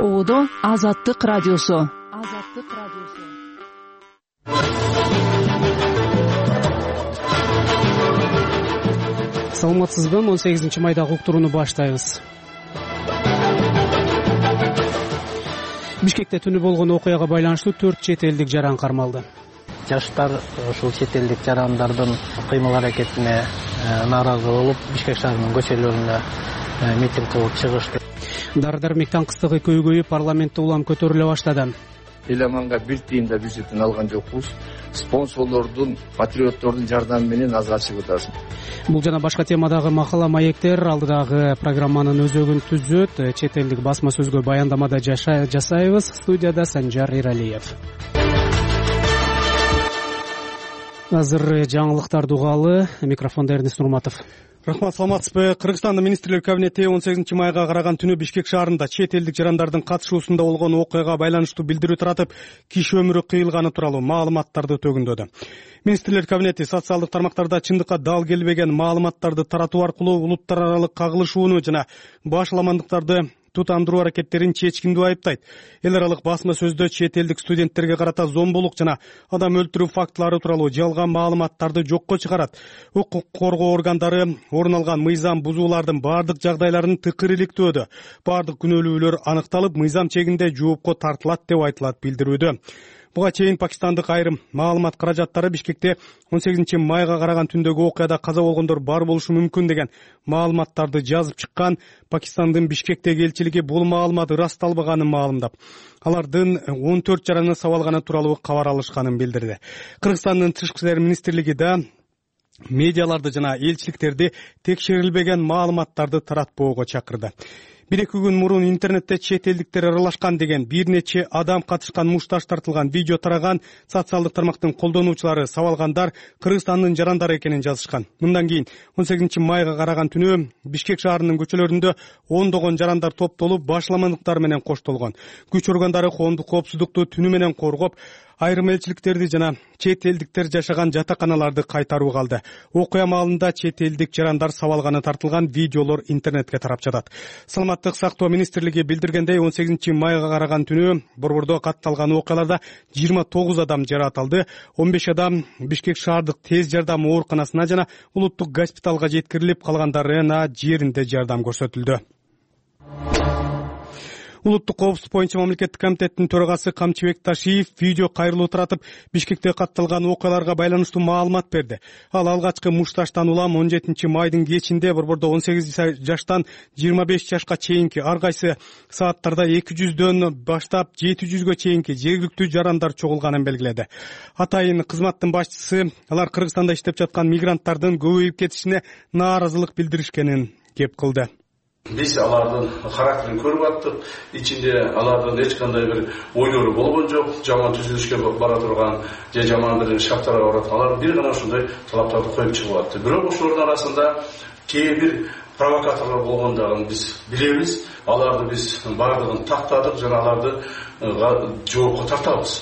Оодо Азаттык радиосу. Саламатсызбы? 18-майдагы уктурууну баштайбыз. Бишкекте түнү болгон окуяга байланыштуу 4 чет элдик жаран кармалды. Жаштар ушул чет элдик жарандардын кыймыл-аракетине нааразы болуп, Бишкек шаарынын көчөлөрүнө митинг кылып чыгышты. Дары-дармек таңкыстыгы көйгөйүп, парламентте улам көтөрүлө баштады. Эламанга бир тыйын да бюджеттен алган жокпуз. Спонсорлордун, патриоттордун жардамы менен азыр ачып атабыз. Бул жана башка темадагы макала маектер алдыдагы программанын өзөгүн түзөт. Чет элдик басма сөзгө баяндамада жасайбыз. Студияда Санжар Иралиев. Азыр жаңылыктарды угалы. Микрофонда Эрнест Нурматов. Рахмат, саламатсызбы? Кыргызстандын министрлер кабинети 18 майга караган түнү Бишкек шаарында чет элдик жарандардын катышуусунда болгон окуяга байланыштуу билдирүү таратып, киши өмүрү кыйылганы тууралуу маалыматтарды төгүндөдү. Министрлер кабинети социалдык тармактарда чындыкка дал келбеген маалыматтарды таратуу аркылуу улуттар аралык кагылышууну жана башаламандыктарды тутандыруу аракеттерин чечкиндүү айыптайт. Эл аралык басма сөздө чет элдик студенттерге карата зомбулук жана адам өлтүрүү фактылары тууралуу жалган маалыматтарды жокко чыгарат. Укук коргоо органдары орун алган мыйзам бузуулардын бардык жагдайларын тыкыр иликтөөдө. Бардык күнөөлүүлөр аныкталып, мыйзам чегинде жоопко тартылат деп айтылат билдирүүдө. Буга чейин Пакистандык айрым маалымат каражаттары Бишкекте 18 майга караган түндөгү окуяда каза болгондор бар болушу мүмкүн деген маалыматтарды жазып чыккан. Пакистандын Бишкектеги элчилиги бул маалымат ырасталбаганын маалымдап, алардын 14 жараны сабалганы тууралуу кабар алышканын билдирди. Кыргызстандын Тышкы иштер министрлиги да медиаларды жана элчиликтерди текшерилбеген маалыматтарды таратпоого чакырды. 1-2 күн мурун интернетте чет элдиктер аралашкан деген бир нече адам катышкан мушташ тартылган видео тараган. Социалдык тармактын колдонуучулары сабалгандар Кыргызстандын жарандары экенин жазышкан. Мындан кийин 18 майга караган түнү Бишкек шаарынын көчөлөрүндө ондогон жарандар топтолуп, башаламандыктар менен коштолгон. Күч органдары коопсуздукту түнү менен коргоп, айрым элчиликтерди жана чет элдиктер жашаган жатаканаларды кайтарууга алды. Окуя маалында чет элдик жарандар сабалганы тартылган видеолор интернетке тарап жатат. Саламаттык сактоо министрлиги билдиргендей, 18 майга караган түнү борбордо катталган окуяларда 29 адам жаракат алды. 15 адам Бишкек шаардык тез жардам ооруканасына жана улуттук госпиталга жеткирилип, калгандарына жеринде жардам көрсөтүлдү. Улуттук коопсуздук боюнча мамлекеттик комитеттин төрагасы Камчыбек Ташиев видео кайрылуу таратып, Бишкекте катталган окуяларга байланыштуу маалымат берди. Ал алгачкы мушташтан улам 17 майдын кечинде борбордо 18 жаштан 25 жашка чейинки ар кайсы сааттарда 200дөн баштап 700гө чейинки жергиликтүү жарандар чогулганын белгиледи. Атайын кызматтын башчысы алар Кыргызстанда иштеп жаткан мигранттардын көбөйүп кетишине нааразылык билдиришкенин кеп кылды. Биз алардын характерин көрүп аттык. Ичинде алардын эч кандай бир ойлору болгон жок. Жаман түзүлүшкө бара турган же жаман бир шарттарга барат. Алар бир гана ушундай талаптарды коюп чыгып атты. Бирок ошолордун арасында кээ бир провокаторлор болгондугун биз билебиз. Аларды биз бардыгын тактадык жана аларды жоопко тартабыз,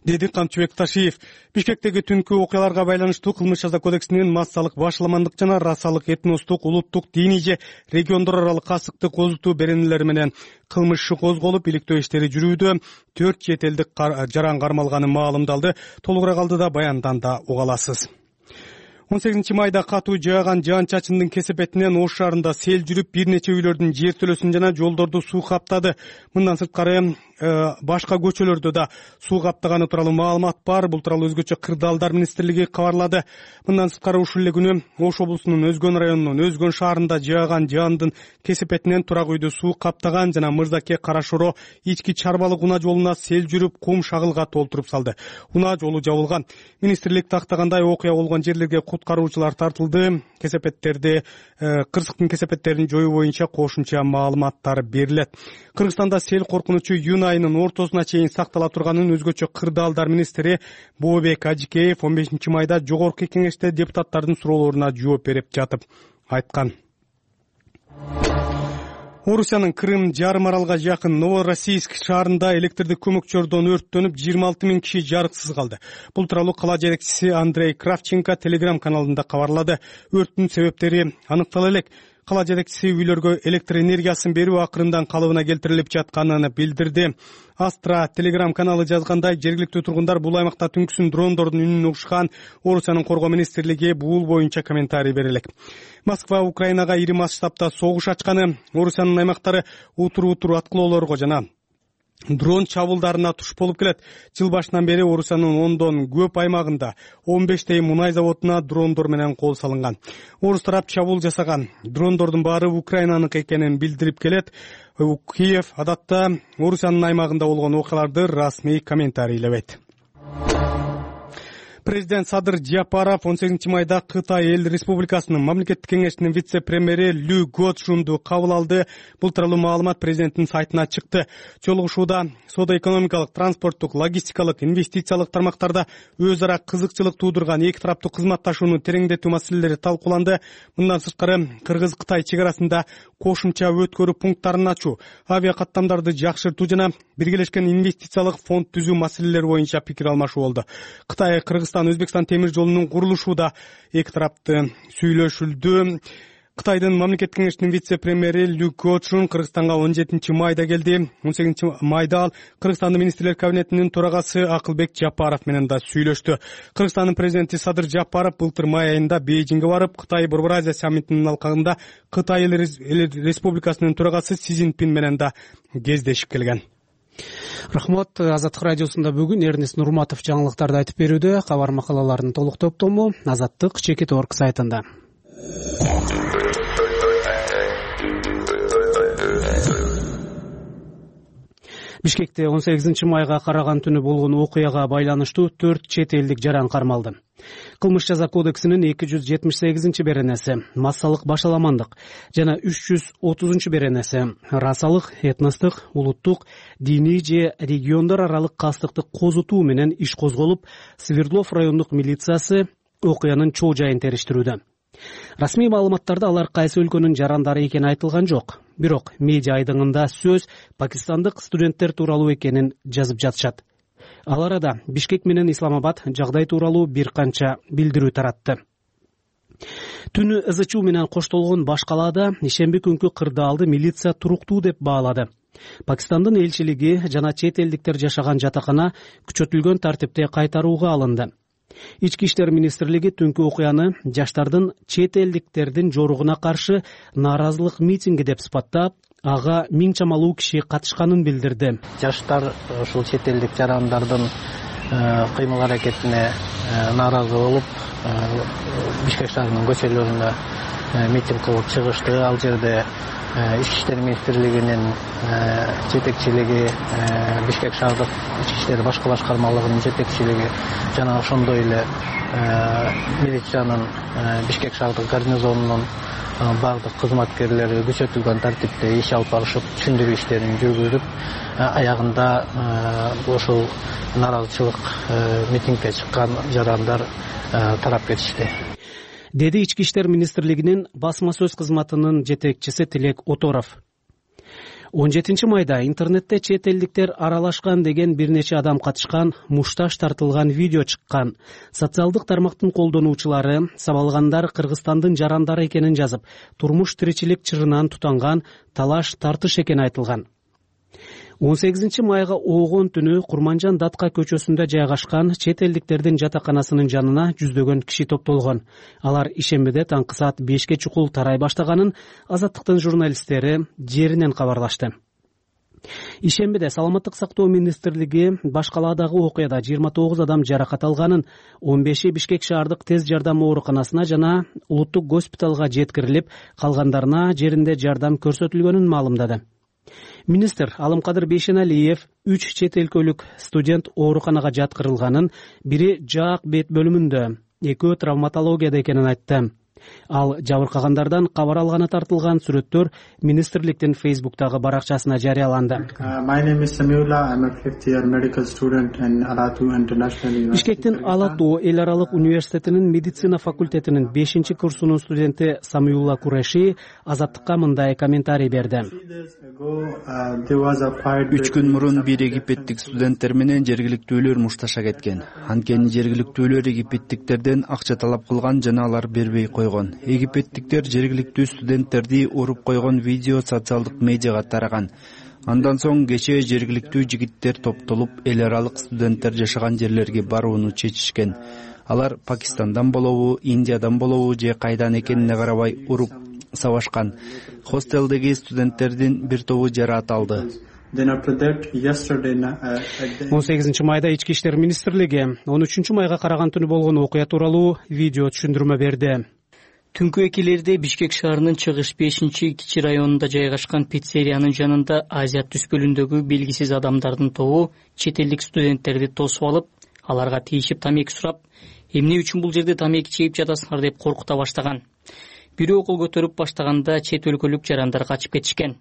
деди Камчыбек Ташиев. Бишкектеги түнкү окуяларга байланыштуу Кылмыш жаза кодексинин массалык башаламандык жана расалык, этностук, улуттук, диний же региондор аралык касыктык озутуу беренелери менен кылмыш иши козголуп, иликтөө иштери жүрүүдө. 4 чет элдик жаран кармалганы маалымдалды. Толугураак алдыда баянданда угаласыз. 18 майда катуу жааган жаан-чачындын кесепетинен Ош шаарында сел жүрүп, бир нече үйлөрдүн жертөлөсүн жана жолдорду суу каптады. Мындан сырткары башка көчөлөрдө да суу каптаганы тууралуу маалымат бар. Бул тууралуу өзгөчө Кырдаалдар министрлиги кабарлады. Мындан сырткары ушул эле күнү Ош облусунун Өзгөн районунун Өзгөн шаарында жааган жаандын кесепетинен турак үйдү суу каптаган жана Мырзаке Карашоро ички чарбалык унаа жолуна сел жүрүп, кум шагылга толтуруп салды. Унаа жолу жабылган. Министрлик тактагандай окуя болгон жерлерге куткаруучулар тартылды. Кырсыктын кесепеттерин жоюу боюнча кошумча маалыматтар берилет. Кыргызстанда сел коркунучу июнь айынын ортосуна чейин сактала турганын өзгөчө Кырдаалдар министри Бообек Ажикеев 15 майда жогорку кеңеште депутаттардын суроолоруна жооп берип жатып айткан. Орусиянын Крым жарым аралга жакын Новороссийск шаарында электрдик көмөкчөрдөн өрттөнүп 26 000 киши жарыксыз калды. Бул тууралуу кала жетекчиси Андрей Кравченко Telegram каналында кабарлады. Өрттүн себептери аныктала элек. Кала жетекчиси үйлөргө электр энергиясын берүү акырындан калыбына келтирилип жатканын билдирди. Астра Телеграм каналы жазгандай, жергиликтүү тургундар бул аймакта түнкүсүн дрондордун үнүн угушкан. Орусиянын коргоо министрлиги бул боюнча комментарий бере элек. Москва Украинага ири масштабта согуш ачканы, Орусиянын аймактары утур аткылоолорго жана дрон чабуулдарына туш болуп келет. Жыл башынан бери Орусиянын ондон көп аймагында 15 мунай заводуна дрондор менен кол салынган. Орус тарап чабуул жасаган дрондордун баары Украинаныкы экенин билдирип келет. Киев адатта Орусиянын аймагында болгон окуяларды расмий комментарийлебейт. Президент Садыр Жапаров 18 майда Кытай Эл Республикасынын мамлекеттик кеңешинин вице-премьери Лю Гочжунду кабыл алды. Бул тууралуу маалымат президенттин сайтына чыкты. Жолугушууда соода-экономикалык, транспорттук, логистикалык, инвестициялык тармактарда өз ара кызыкчылык туудурган эки тараптуу кызматташууну тереңдетүү маселелери талкууланды. Мындан сырткары Кыргыз-Кытай чек арасында кошумча өткөрүү пункттарын ачуу, авиа каттамдарды жакшыртуу жана биргелешкен инвестициялык фонд түзүү маселелери боюнча пикир алмашуу болду. Кытай, Кыргызстан, Өзбекстан темир жолунун курулушууда эки тарапты сүйлөшүлдү. Кытайдын мамлекеттик кеңешинин вице-премьери Лю Гочжун Кыргызстанга 17 майда келди. 18 майда ал Кыргызстандын министрлер кабинетинин төрагасы Акылбек Жапаров менен да сүйлөштү. Кыргызстандын президенти Садыр Жапаров былтыр май айында Бейжиңге барып, Кытай Борбор Азия саммитинин алкагында Кытай Эл Республикасынын төрагасы Си Цзиньпин менен да кездешип келген. Рахмат. Азаттык радиосунда бүгүн Эрнест Нурматов жаңылыктарды айтып берүүдө. Кабар макалаларынын толук топтому Азаттык Чекит.орг сайтында. Бишкекте 18 майга караган түнү болгон окуяга байланыштуу 4 чет элдик жаран кармалды. Кылмыш жаза кодексинин 278 беренеси массалык башаламандык жана 330 беренеси расалык, этностук, улуттук, диний же региондор аралык кастыкты козутуу менен иш козголуп, Свердлов райондук милициясы окуянын чоо жайын териштирүүдө. Расмий маалыматтарда алар кайсы өлкөнүн жарандары экени айтылган жок. Бирок медиа айдыңында сөз пакистандык студенттер тууралуу экенин жазып жатышат. Ал арада Бишкек менен Исламабад жагдай тууралуу бир канча билдирүү таратты. Түнү ызычуу менен коштолгон баш калаада ишемби күнкү кырдаалды милиция туруктуу деп баалады. Пакистандын элчилиги жана чет элдиктер жашаган жатакана күчөтүлгөн тартипте кайтарууга алынды. Ички иштер министрлиги түнкү окуяны жаштардын чет элдиктердин жоругуна каршы нааразылык митинги деп сыпаттап, ага 1000 чамалуу киши катышканын билдирди. Жаштар ушул чет элдик жарандардын кыймыл аракетине нааразы болуп, Бишкек шаарынын көчөлөрүндө митинг кылып чыгышты. Ал жерде Ички иштер министрлигинин жетекчилиги, Бишкек шаардык ички иштер башкы башкармалыгынын жетекчилиги жана ошондой эле милициянын Бишкек шаардык гарнизонунун бардык кызматкерлери күчөтүлгөн тартипте иш алып барышып, түшүндүрүү иштерин жүргүзүп, аягында ошол нааразычылык митингге чыккан жарандар тарап кетишти, деди Ички иштер министрлигинин басма сөз кызматынын жетекчиси Тилек Оторов. 17 майда интернетте чет элдиктер аралашкан деген бир нече адам катышкан мушташ тартылган видео чыккан. Социалдык тармактын колдонуучулары сабалгандар Кыргызстандын жарандары экенин жазып, турмуш тиричилик чырынан тутанган талаш тартыш экени айтылган. 18 майга оогон түнү Курманжан Датка көчөсүндө жайгашкан чет элдиктердин жатаканасынын жанына жүздөгөн киши топтолгон. Алар ишембиде таңкы саат 5ке чукул тарай баштаганын Азаттыктын журналисттери жеринен кабарлашты. Ишембиде Саламаттык сактоо министрлиги баш калаадагы окуяда 29 адам жаракат алганын, 15 Бишкек шаардык тез жардам ооруканасына жана улуттук госпиталга жеткирилип, калгандарына жеринде жардам көрсөтүлгөнүн маалымдады. Министр Алымкадыр Бейшеналиев 3 чет өлкөлүк студент ооруканага жаткырылганын, бири жаак бет бөлүмүндө, экөө травматологияда экенин айтты. Ал жабыркагандардан кабар алганы тартылган сүрөттөр министрликтин Facebook'тагы баракчасына жарыяланды. Бишкектин Алатуу эл аралык университетинин медицина факультетинин 5-курсунун студенти Самиулла Куреши Азаттыкка мындай комментарий берди. 3 күн мурун бир египеттик студенттер менен жергиликтүүлөр мушташа кеткен. Анткени жергиликтүүлөр египеттиктерден акча талап кылган жана алар бербей койгон. койгон. Египеттиктер жергиликтүү студенттерди уруп койгон видео социалдык медиага тараган. Андан соң кечээ жергиликтүү жигиттер топтолуп эл аралык студенттер жашаган жерлерге барууну чечишкен. Алар Пакистандан болобу, Индиядан болобу же кайдан экенине карабай уруп сабашкан. Хостелдеги студенттердин бир тобу жараат алды. 18 майда Ички иштер министрлиги 13 майга караган түнү болгон окуя тууралуу видео түшүндүрмө берди. Түнкү 2-лерде Бишкек шаарынын чыгыш 5-кичи районунда жайгашкан пиццериянын жанында Азия түспөлүндөгү белгисиз адамдардын тобу чет элдик студенттерди тосуп алып, аларга тийишип тамеки сурап, эмне үчүн бул жерде тамеки чегип жатасыңар деп коркута баштаган. Бирөө кол көтөрүп баштаганда чет өлкөлүк жарандар качып кетишкен.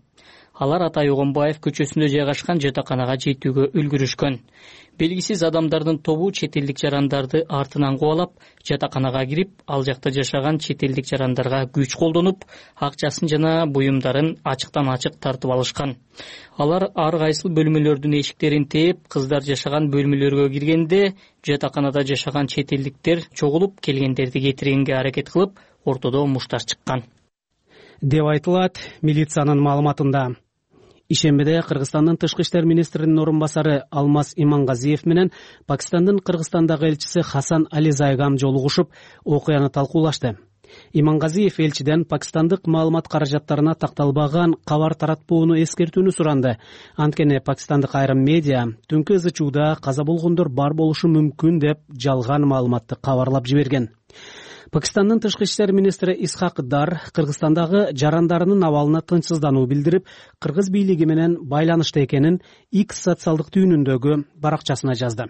Алар Атай Огонбаев көчөсүндө жайгашкан жатаканага жетүүгө үлгүрүшкөн. Белгисиз адамдардын тобу чет элдик жарандарды артынан кубалап, жатаканага кирип, ал жакта жашаган чет элдик жарандарга күч колдонуп, акчасын жана буюмдарын ачыктан ачык тартып алышкан. Алар ар кайсыл бөлмөлөрдүн эшиктерин тээп, кыздар жашаган бөлмөлөргө киргенде, жатаканада жашаган чет элдиктер чогулуп келгендерди кетиргенге аракет кылып, ортодо муштар чыккан деп айтылат милициянын маалыматында. Ишембиде Кыргызстандын тышкы иштер министринин орун басары Алмаз Имангазиев менен Пакистандын Кыргызстандагы элчиси Хасан Ализайгам жолугушуп, окуяны талкуулашты. Имангазиев элчиден пакистандык маалымат каражаттарына такталбаган кабар таратпоону эскертүүнү суранды. Анткени пакистандык айрым медиа түнкү ызычууда каза болгондор бар болушу мүмкүн деп жалган маалыматты кабарлап жиберген. Пакистандын тышкы иштер министри Исхак Дар Кыргызстандагы жарандарынын абалына тынчсыздануу билдирип, кыргыз бийлиги менен байланышта экенин X социалдык түйүнүндөгү баракчасына жазды.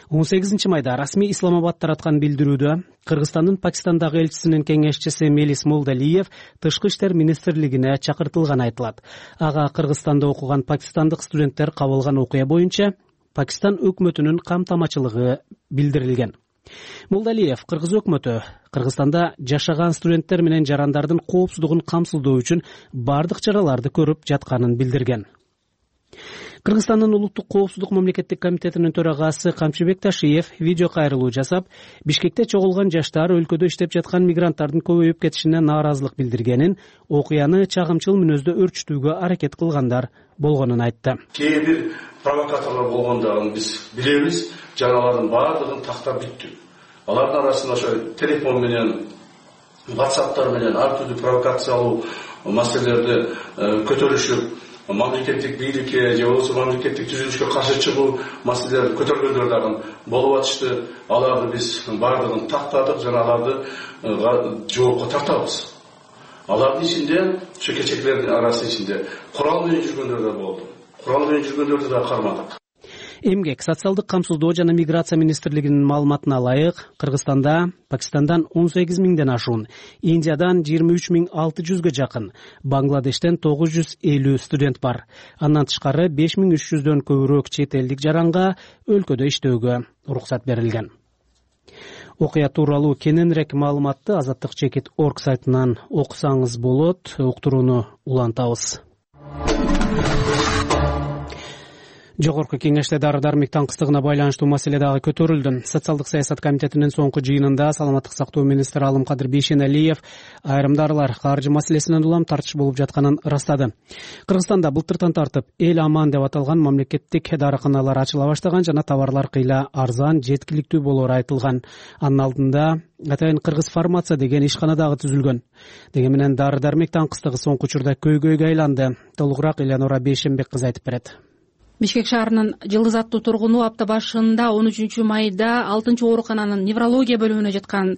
18 майда расмий Исламабад тараткан билдирүүдө Кыргызстандын Пакистандагы элчисинин кеңешчиси Мелис Молдалиев тышкы иштер министрлигине чакыртылганы айтылат. Ага Кыргызстанда окуган пакистандык студенттер кабылган окуя боюнча Пакистан өкмөтүнүн камтамачылыгы билдирилген. Молдалиев Кыргыз өкмөтү Кыргызстанда жашаган студенттер менен жарандардын коопсуздугун камсыздоо үчүн бардык чараларды көрүп жатканын билдирген. Кыргызстандын улуттук коопсуздук мамлекеттик комитетинин төрагасы Камчыбек Ташиев видео кайрылуу жасап, Бишкекте чогулган жаштар өлкөдө иштеп жаткан мигранттардын көбөйүп кетишине нааразылык билдиргенин, окуяны чагымчыл мүнөздө өрчүтүүгө аракет кылгандар болгонун айтты. Кээ бир провокаторлор болгондугун биз билебиз, жаналардын баардыгын тактап бүттү. Алардын арасында ошо телефон менен, WhatsApp'тар менен ар түрдүү провокациялуу маселелерди көтөрүшүп, мамлекеттик бийликке же болбосо мамлекеттик түзүлүшкө каршы чыгуу маселелерди көтөргөндөр дагы болуп атышты. Аларды биз баардыгын тактадык жана аларды жоопко тартабыз. Алардын ичинде, ошо кечекилердин арасы ичинде курал менен жүргөндөр да болду. Курал менен жүргөндөрдү да кармадык. Эмгек, социалдык камсыздоо жана миграция министрлигинин маалыматына ылайык, Кыргызстанда Пакистандан 18 миңден ашуун, Индиядан 23.600 жакын, Бангладештен 950 студент бар. Андан тышкары 5300дөн көбүрөөк чет элдик жаранга өлкөдө иштөөгө уруксат берилген. Окуя тууралуу кененирээк маалыматты Азаттык Чекит орг сайтынан окусаңыз болот. Уктурууну улантабыз. Жогорку кеңеште дары-дармек таңкыстыгына байланыштуу маселе дагы көтөрүлдү. Социалдык саясат комитетинин соңку жыйынында саламаттык сактоо министри Алымкадыр Бейшеналиев айрым дарылар каржы маселесинен улам тартыш болуп жатканын ырастады. Кыргызстанда былтыртан тартып эл аман деп аталган мамлекеттик дарыканалар ачыла баштаган жана товарлар кыйла арзан, жеткиликтүү болоору айтылган. Анын алдында атайын Кыргыз фармация деген ишкана дагы түзүлгөн. Деген менен дары-дармек таңкыстыгы соңку учурда көйгөйгө айланды. Толугураак Элеонора Бейшенбек кызы айтып берет. Бишкек шаарынын Жылдыз аттуу тургуну апта башында 13 майда 6-оорукананын неврология бөлүмүнө жаткан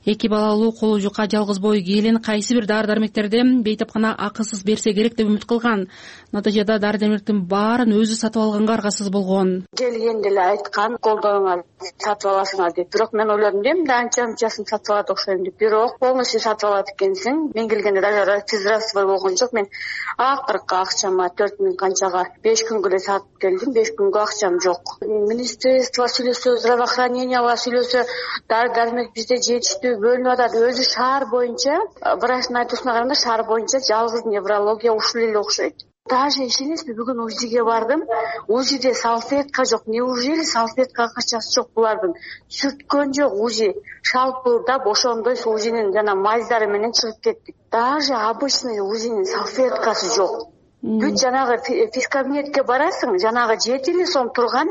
2 балалуу колу жука жалгыз бой келин кайсы бир дары-дармектерди бейтапкана акысыз берсе керек деп үмүт кылган. Натыйжада дары-дармектин баарын өзү сатып алганга аргасыз болгон. Келгенде эле айткан, колдонуңар, сатып аласыңар деп. Бирок мен ойлодум да, эмне анчасын сатып алат окшойм деп. Бирок полностью сатып алат экенсиң. Мен келгенде даже физрасвой болгон жок. Мен акыркы акчама 4000 канчага 5 күнгө эле сатып келдим. 5 күнгө акчам жок. Министерство сүйлөсө, здравоохранениега сүйлөсө, дары-дармек бизде жетиштүү бөлүнүп атат. Өзү шаар боюнча, врачтын айтуусуна караганда шаар боюнча жалгыз неврология ушул эле окшойт. Даже ишенесизби, бүгүн УЗИге бардым. УЗИде салфетка жок. Неужели салфетка акчасы жок булардын? Сүрткөн жок УЗИ. Шалпылдап ошондой УЗИнин жана маздары менен чыгып кеттик. Даже обычный УЗИнин салфеткасы жок. Бүт жанагы физкабинетке барасың, жанагы 7 сом турган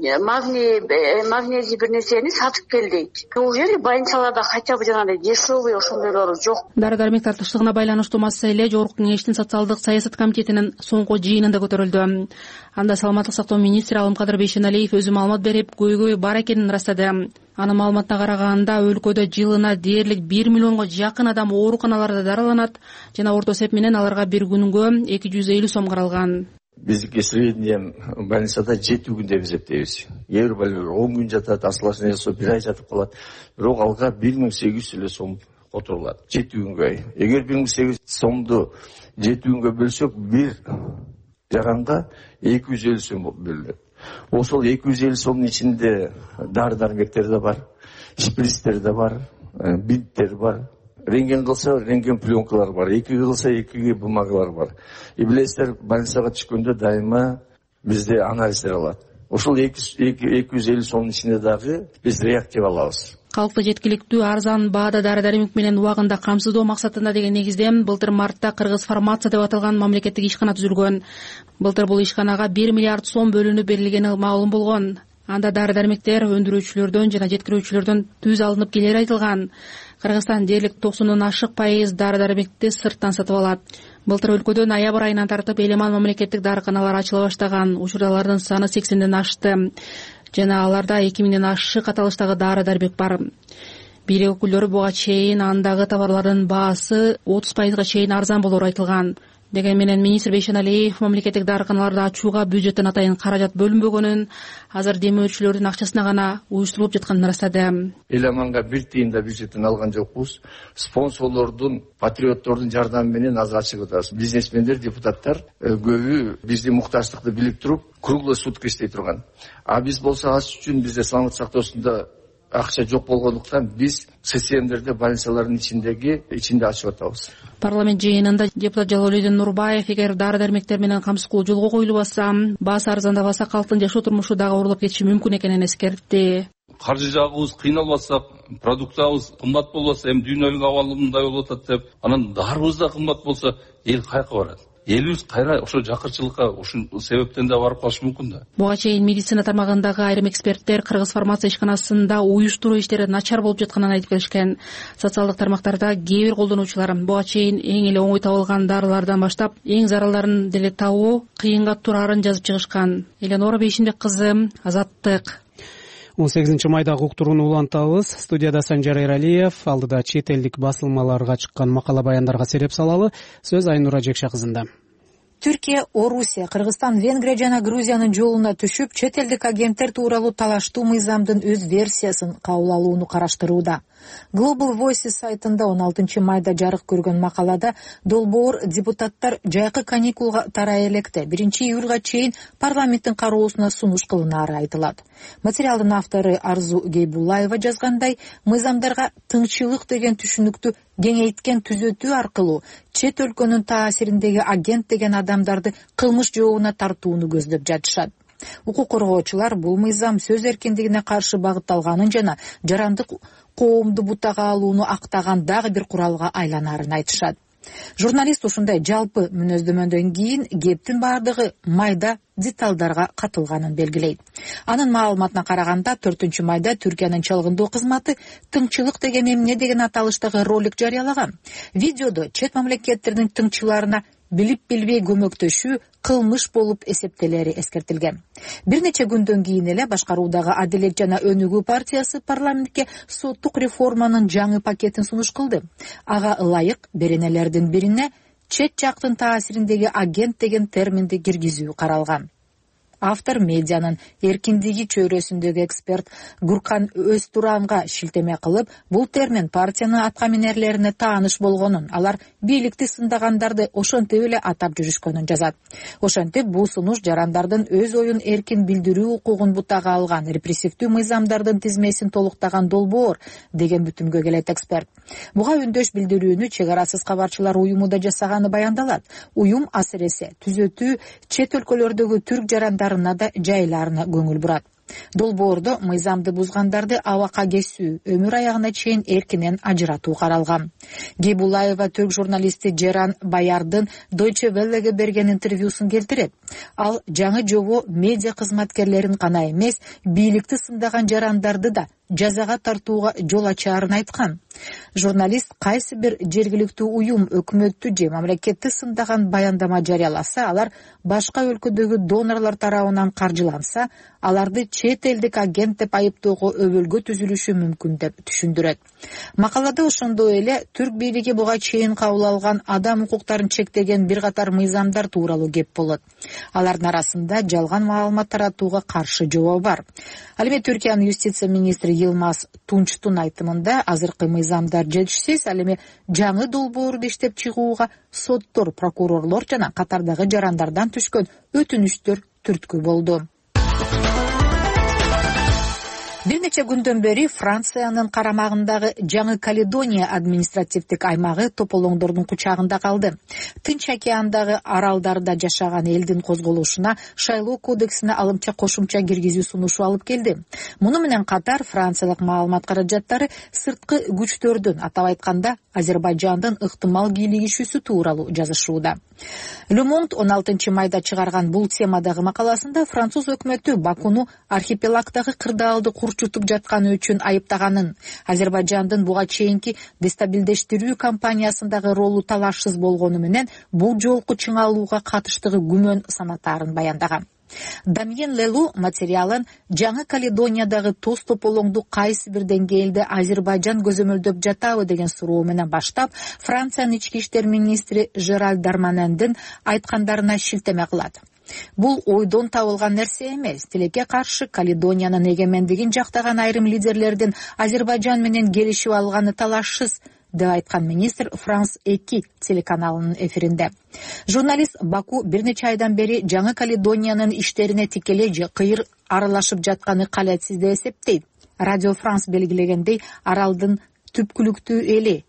магнезий бир нерсени сатып кел дейт. Неужели больницаларда хотя бы жанагы дешевый ошондойлору жок? Дары-дармек тартыштыгына байланыштуу маселе Жогорку Кеңештин социалдык саясат комитетинин соңку жыйынында көтөрүлдү. Анда саламаттык сактоо министри Алымкадыр Бейшеналиев өзү маалымат берип, көйгөй бар экенин ырастады. Анын маалыматына караганда, өлкөдө жылына дээрлик 1 миллионго жакын адам ооруканаларда дарыланат жана орто эсеп менен аларга бир күнгө 250 сом каралган. Биздики средний больницада 7 күн деп эсептейбиз. Кээ бир 10 күн жатат, осложнение жасап 1 ай жатып калат. Бирок алга 1800 сом которулат 7 күнгө. Эгер 1800 сомду 7 күнгө бөлсөк, бир жаранга 250 сом бөлүнөт. Ошол 250 сомдун ичинде дары-дармектер да бар, шприцтер да бар, бинттер бар. Рентген кылса, рентген пленкалар бар, 2 кылса 2 бумагалар бар. И билесиздер, больницага түшкөндө дайыма бизде анализдер алат. Ошол 250 сомдун ичинде дагы биз реактив алабыз. Калкты жеткиликтүү арзан баада дары-дармек менен убагында камсыздоо максатында деген негизде былтыр мартта Кыргыз фармация деп аталган мамлекеттик ишкана түзүлгөн. Былтыр бул ишканага 1 миллиард сом бөлүнүп берилгени маалым болгон. Анда дары-дармектер өндүрүүчүлөрдөн жана жеткирүүчүлөрдөн түз алынып келери айтылган. Кыргызстан дээрлик 90 ашык пайыз дары-дармекти сырттан сатып алат. Былтыр өлкөдө ноябрь айынан тартып элеман мамлекеттик дарыканалар ачыла баштаган. Учурда алардын саны 80ден ашты. Жана аларда 2000ден ашык аталыштагы дары-дармек бар. Бийлик өкүлдөрү буга чейин андагы товарлардын баасы 30% чейин арзан болору айтылган. Деген менен министр Бейшеналиев мамлекеттик дарыканаларды ачууга бюджеттен атайын каражат бөлүнбөгөнүн, азыр демөөчүлөрдүн акчасына гана уюштурулуп жатканын ырастады. Элеманга бир тыйын да бюджеттен алган жокпуз. Спонсорлордун, патриоттордун жардамы менен азыр ачып атабыз. Бизнесмендер, депутаттар көбү биздин муктаждыкты билип туруп, круглый сутка иштей турган. А биз болсо аш үчүн бизде саламаттык сактоосунда акча жок болгондуктан биз ССМдерде больницалардын ичинде ачып атабыз. Парламент жыйынында депутат Жалолидин Нурбаев, эгер дары-дармектер менен камсыздоо жолго коюлбаса, баасы арзандабаса, калктын жашоо турмушу дагы оорулуп кетиши мүмкүн экенин эскертти. Каржы жагыбыз кыйналбасак, продукциябыз кымбат болбосо, эми дүйнөлүк абалы мындай болуп атат деп, анан дарыбыз да кымбат болсо, эл каяка барат? Элибиз кайра ошо жакырчылыкка ушул себептен да барып калышы мүмкүн да. Буга чейин медицина тармагындагы айрым эксперттер Кыргыз фармация ишканасында уюштуруу иштери начар болуп жатканын айтып келишкен. Социалдык тармактарда кээ бир колдонуучулар буга чейин эң эле оңой табылган дарылардан баштап эң зарылдарын деле табуу кыйынга турарын жазып чыгышкан. Эленора Бейшимбек кызы, Азаттык. 18 майдагы уктурууну улантабыз. Студияда Санжар Эралиев, алдыда чет элдик басылмаларга чыккан макала баяндарга сереп салалы. Сөз Айнура Жекша кызында. Түркия, Орусия, Кыргызстан, Венгрия жана Грузиянын жолуна түшүп, чет элдик агенттер тууралуу талаштуу мыйзамдын өз версиясын кабыл алууну караштырууда. Global Voices сайтында 16 майда жарык көргөн макалада долбоор депутаттар жайкы каникулга тарай электе 1 июлга чейин парламенттин кароосуна сунуш кылынаары айтылат. Материалдын автору Арзу Гейбуллаева жазгандай, мыйзамдарга тыңчылык деген түшүнүктү кеңейткен түзөтүү аркылуу чет өлкөнүн таасириндеги агент деген адамдарды кылмыш жообуна тартууну көздөп жатышат. Укук коргоочулар бул мыйзам сөз эркиндигине каршы багытталганын жана жарандык коомду бутага алууну актаган дагы бир куралга айланаарын айтышат. Журналист ушундай жалпы мүнөздөмөдөн кийин кептин бардыгы майда деталдарга катылганын белгилейт. Анын маалыматына караганда 4 майда Түркиянын чалгындоо кызматы тыңчылык деген эмне деген аталыштагы ролик жарыялаган. Видеодо чет мамлекеттердин тыңчыларына билип-билбей көмөктөшүү кылмыш болуп эсептелери эскертилген. Бир нече күндөн кийин эле башкаруудагы Адилет жана Өнүгүү партиясы парламентке соттук реформанын жаңы пакетин сунуш кылды. Ага ылайык беренелердин бирине чет жактын таасириндеги агент деген терминди киргизүү каралган. автор медианын эркиндиги чөйрөсүндөгү эксперт Гуркан Өзтуранга шилтеме кылып, бул термин партиянын аткаминерлерине тааныш болгонун, алар бийликти сындагандарды ошентип эле атап жүрүшкөнүн жазат. Ошентип, бул сунуш жарандардын өз оюн эркин билдирүү укугун бутага алган, репрессивдүү мыйзамдардын тизмесин толуктаган долбоор деген бүтүмгө келет эксперт. Буга үндөш билдирүүнү Чек арасыз кабарчылар уюму да жасаганы баяндалат. Уюм асыресе түзөтүү чет өлкөлөрдөгү түрк жарандарына да жайларына көңүл бурат. Долбоордо мыйзамды бузгандарды абакка кесүү, өмүр аягына чейин эркинен ажыратуу каралган. Гейбулаева түрк журналисти Жеран Баярдын Deutsche Welleге берген интервьюсун келтирет. Ал жаңы жобо медиа кызматкерлерин гана эмес, бийликти сындаган жарандарды да жазага тартууга жол ачаарын айткан. Журналист кайсы бир жергиликтүү уюм өкмөттү же мамлекетти сындаган баяндама жарыяласа, алар башка өлкөдөгү донорлор тарабынан каржыланса, аларды чет элдик агент деп айыптоого өбөлгө түзүлүшү мүмкүн деп түшүндүрөт. Макалада ошондой эле түрк бийлиги буга чейин кабыл алган адам укуктарын чектеген бир катар мыйзамдар тууралуу кеп болот. Алардын арасында жалган маалымат таратууга каршы жобо бар. Ал эми Түркиянын юстиция министри Йылмаз Тунчтун айтымында азыркы мыйзамдар жетишсиз, ал эми жаңы долбоорду иштеп чыгууга соттор, прокурорлор жана катардагы жарандардан түшкөн өтүнүчтөр түрткү болду. Бир нече күндөн бери Франциянын карамагындагы Жаңы Каледония административдик аймагы тополоңдордун кучагында калды. Тынч океандагы аралдарда жашаган элдин козголушуна шайлоо кодексине алымча кошумча киргизүү сунушу алып келди. Муну менен катар франциялык маалымат каражаттары сырткы күчтөрдүн, атап айтканда Азербайжандын ыктымал кийлигишүүсү тууралуу жазышууда. Le Monde 16 майда чыгарган бул темадагы макаласында француз өкмөтү Бакуну архипелагдагы кырдаалды курчутуп жатканы үчүн айыптаганын, Азербайжандын буга чейинки дестабилдештирүү кампаниясындагы ролу талашсыз болгону менен бул жолку чыңалууга катыштыгы күмөн санатаарын баяндаган. Дамьен Лелу материалын Жаңы Каледониядагы тоз тополоңду кайсы бир деңгээлде Азербайжан көзөмөлдөп жатабы деген суроо менен баштап, Франциянын ички иштер министри Жераль Дарманендин айткандарына шилтеме кылат. Бул ойдон табылган нерсе эмес. Тилекке каршы Каледониянын эгемендигин жактаган айрым лидерлердин Азербайжан менен келишип алганы талашсыз деп айткан министр Франс 2 телеканалынын эфиринде. Журналист Баку бир нече айдан бери Жаңы Каледониянын иштерине тикелей же кыйыр аралашып жатканы калетсиз деп эсептейт. Радио Франс белгилегендей, аралдын түпкүлүктүү эли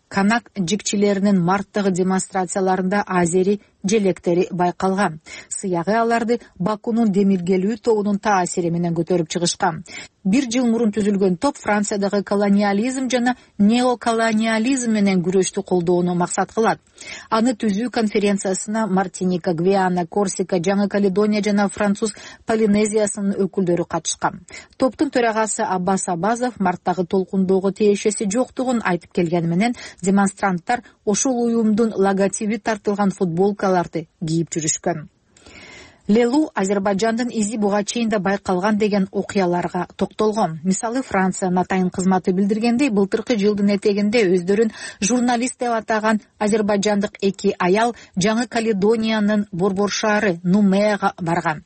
Канак жикчилеринин марттагы демонстрацияларында азери желектери байкалган. Сыягы аларды Бакунун демиргелүү тобунун таасири менен көтөрүп чыгышкан. Бир жыл мурун түзүлгөн топ Франциядагы колониализм жана неоколониализм менен күрөштү колдоону максат кылат. Аны түзүү конференциясына Мартиника, Гвиана, Корсика, Жаңы Каледония жана Француз Полинезиясынын өкүлдөрү катышкан. Топтун төрагасы Аббас Абазов марттагы толкундоого тиешеси жоктугун айтып келгени менен демонстранттар ошол уюмдун логотиби тартылган футболкаларды кийип жүрүшкөн. Лелу Азербайжандын изи буга чейин да байкалган деген окуяларга токтолгон. Мисалы, Франциянын атайын кызматы билдиргендей, былтыркы жылдын этегинде өздөрүн журналист деп атаган азербайжандык 2 аял Жаңы Каледониянын борбор шаары Нумеяга барган.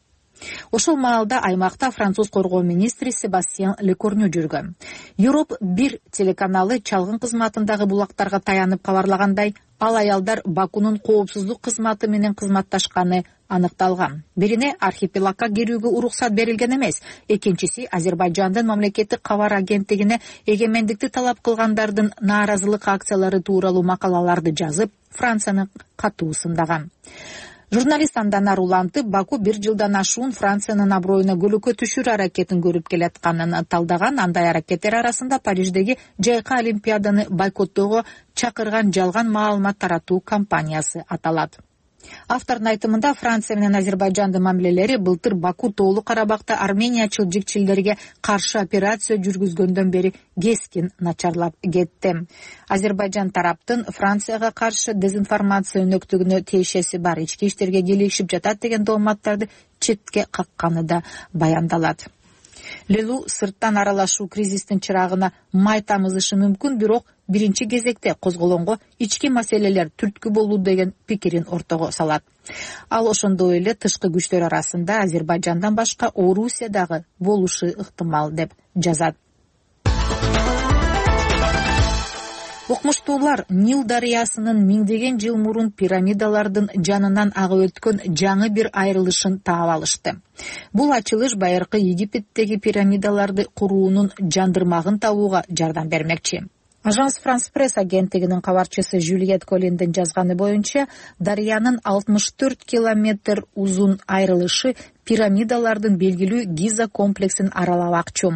Ошол маалда аймакта француз коргоо министри Себастьян Лекорню жүргөн. Европ 1 телеканалы чалгын кызматындагы булактарга таянып кабарлагандай, ал аялдар Бакунун коопсуздук кызматы менен кызматташканы аныкталган. Бирине архипелагга кирүүгө уруксат берилген эмес, экинчиси Азербайжандын мамлекеттик кабар агенттигине эгемендикти талап кылгандардын нааразылык акциялары тууралуу макалаларды жазып, Францияны катуу сындаган. Журналист андан арулантып, Баку бир жылдан ашуун Франциянын аброюна көлөкө түшүрүү аракетин көрүп келатканын талдаган. Андай аракеттер арасында Париждеги жайкы олимпиаданы бойкоттоого чакырган жалган маалымат таратуу кампаниясы аталат. Автордун айтымында, Франция менен Азербайжандын мамилелери былтыр Баку Тоолуу Карабакта армениячыл жикчилерге каршы операция жүргүзгөндөн бери кескин начарлап кетти. Азербайжан тараптын Францияга каршы дезинформация өнөктүгүнө тиешеси бар, ички иштерге келишип жатат деген дооматтарды четке какканы да баяндалат. Лелу сырттан аралашуу кризистин чырагына май тамызышы мүмкүн, бирок биринчи кезекте козголонго ички маселелер түрткү болуу деген пикирин ортого салат. Ал ошондой эле тышкы күчтөр арасында Азербайжандан башка Орусия дагы болушу ыктымал деп жазат. Окмуштуулар Нил дарыясынын миңдеген жыл мурун пирамидалардын жанынан агып өткөн жаңы бир айрылышын таап алышты. Бул ачылыш байыркы Египеттеги пирамидаларды куруунун жандырмагын табууга жардам бермекчи. Ажанс Франс Пресс агенттигинин кабарчысы Жюльет Коллиндин жазганы боюнча, дарыянын 64 километр узун айрылышы пирамидалардын белгилүү Гиза комплексин аралабакчу.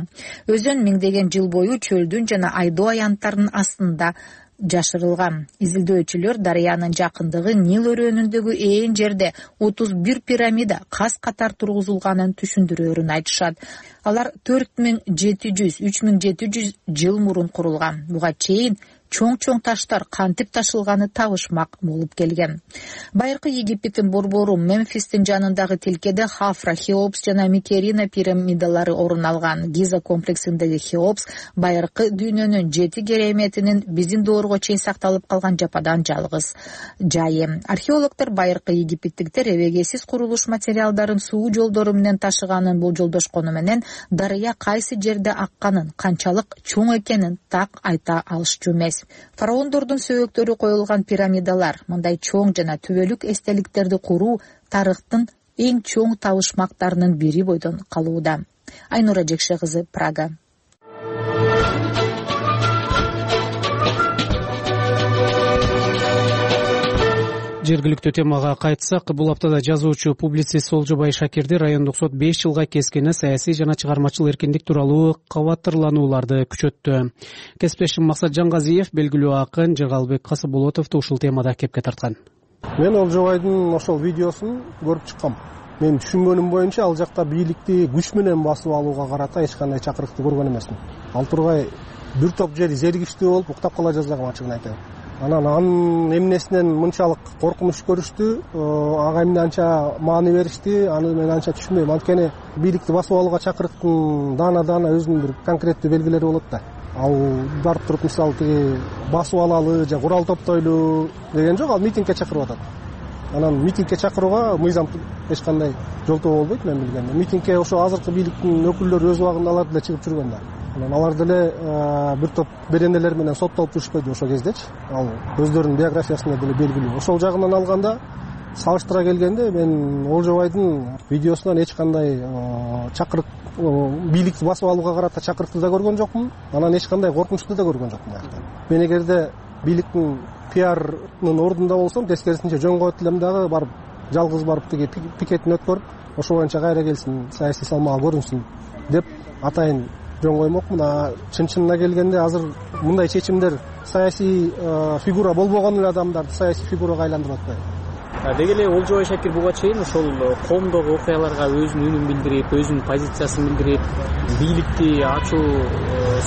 Өзөн миңдеген жыл бою чөлдүн жана айдоо аянттарынын астында жашырылган. Изилдөөчүлөр дарыянын жакындыгы Нил өрөөнүндөгү ээн жерде 31 пирамида кас катар тургузулганын түшүндүрөөрүн айтышат. Алар 4700-3700 жыл мурун курулган. Буга чейин чоң таштар кантип ташылганы табышмак болуп келген. Байыркы Египеттин борбору Мемфистин жанындагы тилкеде Хафра, Хеопс жана Микерина пирамидалары орун алган. Гиза комплексиндеги Хеопс байыркы дүйнөнүн 7 кереметинин биздин доорго чейин сакталып калган жападан жалгыз жайы. Археологдор байыркы египеттиктер эбегейсиз курулуш материалдарын суу жолдору менен ташыганын болжолдошкону менен дарыя кайсы жерде акканын, канчалык чоң экенин так айта алышчу эмес. Фараондордун сөөгөктөрү коюлган пирамидалар, мындай чоң жана түбөлүк эстеликтерди куруу тарыхтын эң чоң табышмактарынын бири бойдон калууда. Айнура Жекше кызы, Прага. Жергиликтүү темага кайтсак, бул аптада жазуучу, публицист Солжобай Шакирди райондук сот 5 жылга кескени саясий жана чыгармачыл эркиндик тууралуу кабаттырланууларды күчөттү. Кесиптешим Максат Жангазиев белгилүү акын Жыгалбек Касыболотовду ушул темада кепке тарткан. Мен Олжобайдын ошол видеосун көрүп чыккам. Менин түшүнгөнүм боюнча ал жакта бийликти күч менен басып алууга карата эч кандай чакырыкты көргөн эмесмин. Ал тургай бир топ жери зергиштүү болуп уктап кала жаздаган, ачыгын айтайын. Анан эмнесинен мынчалык коркунуч көрүштү, ага эмне анча маани беришти, аны мен анча түшүнбөйм. Анткени бийликти басып алууга чакырыктын даана өзүнүн бир конкреттүү белгилери болот да. Ал барып туруп мисалы тиги басып алалы же курал топтойлу деген жок, ал митингге чакырып атат. Анан митингге чакырууга мыйзам эч кандай жолтоо болбойт мен билгенде. Митингге ошо азыркы бийликтин өкүлдөрү өз убагында алар деле чыгып жүргөн да. Анан алар деле бир топ беренелер менен соттолуп жүрүшпөйдү ошол кездечи. Ал өздөрүнүн биографиясында деле белгилүү. Ошол жагынан алганда, салыштыра келгенде мен Олжобайдын видеосунан эч кандай чакырык, бийликти басып алууга карата чакырыкты да көргөн жокмун. Анан эч кандай коркунучту да көргөн жокмун. Мен эгерде бийликтин пиарынын ордунда болсом, тескерисинче жөн коет элем дагы, барып жалгыз барып тиги пикетин өткөрүп, ошо боюнча кайра келсин, саясий салмагы көрүнсүн деп атайын жөн коймокмун. Чын-чынына келгенде азыр мындай чечимдер саясий фигура болбогон эле адамдарды саясий фигурага айландырып атпайбы? Деги эле Олжобай Шакир буга чейин ошол коомдогу окуяларга өзүнүн үнүн билдирип, өзүнүн позициясын билдирип, бийликти ачуу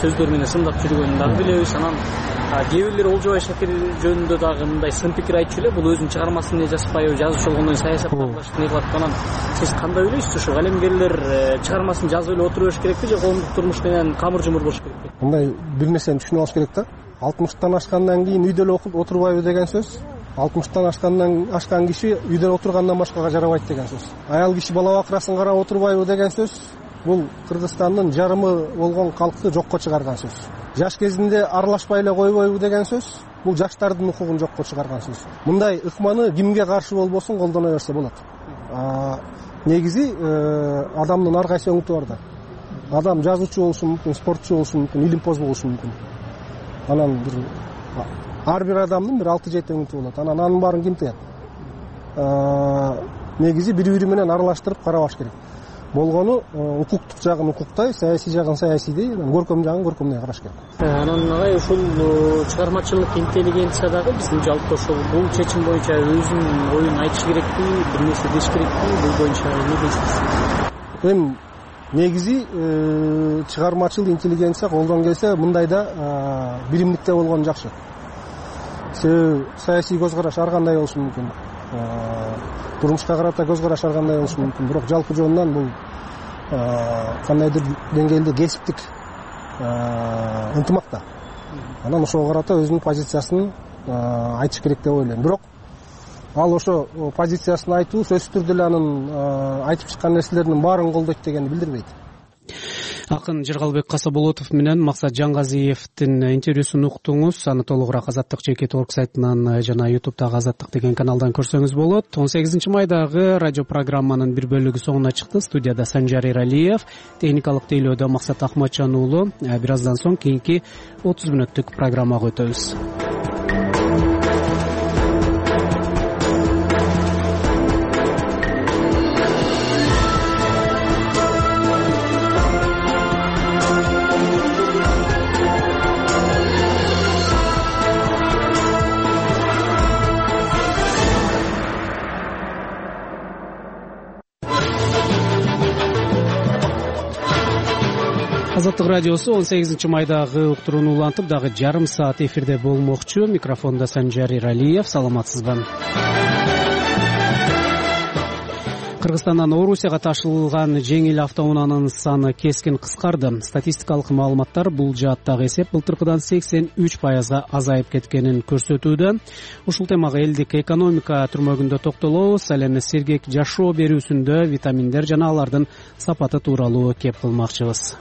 сөздөр менен сындап жүргөнүн дагы билебиз. Анан кээ бирлер Олжобай Шакир жөнүндө дагы мындай сын пикир айтчу эле, бул өзүнүн чыгармасын эмне жазбайбы, жазуучу болгондон саясатты аралашып эмне кылат. Анан сиз кандай ойлойсуз? Ушу калемгерлер чыгармасын жазып эле отура бериш керекпи же коомдук турмуш менен камыр жумур болуш керекпи? Мындай бир нерсени түшүнүп алыш керек да. 60-тан ашкандан кийин үйдө эле отурбайбы деген сөз. 60-тан ашкан киши үйдө отургандан башкага жарабайт деген сөз. Аял киши бала бакырасын карап отурбайбы деген сөз. Бул Кыргызстандын жарымы болгон калкты жокко чыгарган сөз. Жаш кезинде аралашпай эле койбойбу деген сөз. Бул жаштардын укугун жокко чыгарган сөз. Мындай ыкманы кимге каршы болбосун колдоно берсе болот. Негизи адамдын ар кайсы өңүтү бар да. Адам жазуучу болушу мүмкүн, спортчу болушу мүмкүн, илимпоз болушу мүмкүн. Анан ар бир адамдын бир 6-7 өңүтү болот. Анан анын баарын ким тыят? Негизи бири-бири менен аралаштырып карабаш керек. Болгону укуктук жагын укуктай, саясий жагын саясийдей, көркөм жагын көркөмдөй караш керек. Анан агай ушул чыгармачылык интеллигенция дагы биздин жалпы ошол бул чечим боюнча өзүнүн оюн айтыш керекпи, бир нерсе деш керекпи, бул боюнча эмне дейсиз? Эми негизи чыгармачыл интеллигенция колдон келсе мындайда биримдикте болгон жакшы. Себеби саясий көз караш ар кандай болушу мүмкүн. Турмушка карата көз караш ар кандай болушу мүмкүн. Бирок жалпы жонунан бул кандайдыр деңгээлде кесиптик ынтымакта. Анан ошого карата өзүнүн позициясын айтыш керек деп ойлойм. Бирок ал ошо позициясын айтуу сөзсүз түрдө эле анын айтып чыккан нерселеринин баарын колдойт дегенди билдирбейт. Акын Жыргалбек Касаболотов менен Максат Жаңгазиевдин интервьюсун уктуңуз. Аны толугураак Азаттык ЖК.org сайтынан жана YouTube'дагы Азаттык деген каналдан көрсөңүз болот. 18 майдагы радио программанын бир бөлүгү соңуна чыкты. Студияда Санжар Иралиев, техникалык тейлөөдө Максат Ахматжан уулу. Бир аздан соң кийинки 30 мүнөттүк программага өтөбүз. Азаттык радиосу 18 майдагы уктурууну улантып, дагы жарым саат эфирде болмокчу. Микрофондо Санжар Иралиев. Саламатсызбы? Кыргызстандан Орусияга ташылган жеңил автоунаанын саны кескин кыскарды. Статистикалык маалыматтар бул жааттагы эсеп былтыркыдан 83% азайып кеткенин көрсөтүүдө. Ушул темага элдик экономика түрмөгүндө токтолобуз. Ал эми сергек жашоо берүүсүндө витаминдер жана алардын сапаты тууралуу кеп кылмакчыбыз.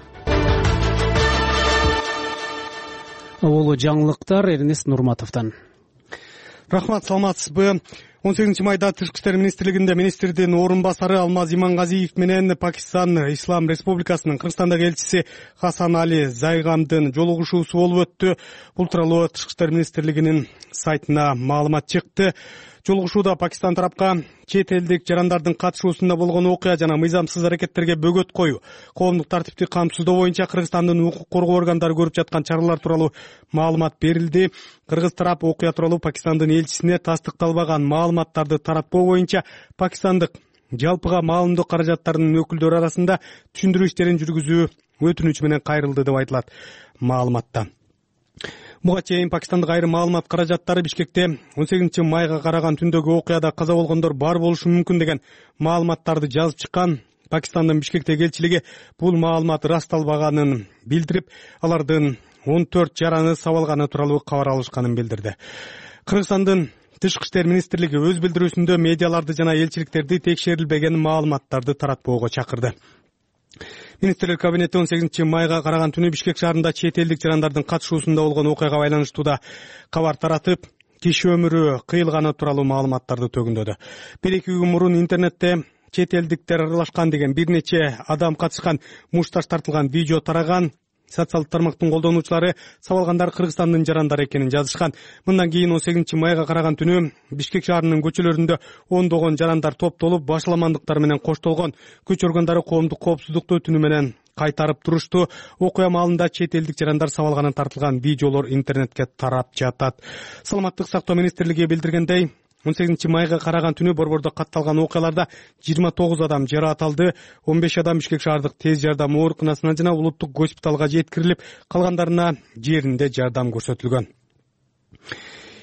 Олу жаңылыктар Эрнест Нурматовдон. Рахмат, саламатсызбы? 18 майда Тышкы иштер министрлигинде министрдин орун басары Алмаз Имангазиев менен Пакистан Ислам Республикасынын Кыргызстандагы элчиси Хасан Али Зайгамдын жолугушуусу болуп өттү. Бул тууралуу Тышкы иштер министрлигинин сайтына маалымат чыкты. Жолугушууда Пакистан тарапка чет элдик жарандардын катышуусунда болгон окуя жана мыйзамсыз аракеттерге бөгөт коюу, коомдук тартипти камсыздоо боюнча Кыргызстандын укук коргоо органдары көрүп жаткан чаралар тууралуу маалымат берилди. Кыргыз тарап окуя тууралуу Пакистандын элчисине тастыкталбаган маалыматтарды таратпоо боюнча пакистандык жалпыга маалымдоо каражаттарынын өкүлдөрү арасында түшүндүрүү иштерин жүргүзүү өтүнүч менен кайрылды деп айтылат маалыматта. Буга чейин Пакистандык айрым маалымат каражаттары Бишкекте 18 майга караган түндөгү окуяда каза болгондор бар болушу мүмкүн деген маалыматтарды жазып чыккан. Пакистандын Бишкектеги элчилиги бул маалымат ырасталбаганын билдирип, алардын 14 жараны сабалганы тууралуу кабар алышканын билдирди. Кыргызстандын Тышкы иштер министрлиги өз билдирүүсүндө медиаларды жана элчиликтерди текшерилбеген маалыматтарды таратпоого чакырды. Министрлер кабинети 18 майга караган түнү Бишкек шаарында чет элдик жарандардын катышуусунда болгон окуяга байланыштуу да кабар таратып, киши өмүрү кыйылганы тууралуу маалыматтарды төгүндөдү. 1-2 күн мурун интернетте чет элдиктер аралашкан деген бир нече адам катышкан мушташ тартылган видео тараган. Социалдык тармактын колдонуучулары сабалгандар Кыргызстандын жарандары экенин жазышкан. Мындан кийин 18 майга караган түнү Бишкек шаарынын көчөлөрүндө ондогон жарандар топтолуп, башаламандыктар менен коштолгон. Күч органдары коомдук коопсуздукту түнү менен кайтарып турушту. Окуя маалында чет элдик жарандар сабалганын тартылган видеолор интернетке тарап жатат. Саламаттык сактоо министрлиги билдиргендей, 18 майга караган түнү борбордо катталган окуяларда 29 адам жараат алды, 15 адам Бишкек шаардык тез жардам ооруканасына жана улуттук госпиталга жеткирилип, калгандарына жеринде жардам көрсөтүлгөн.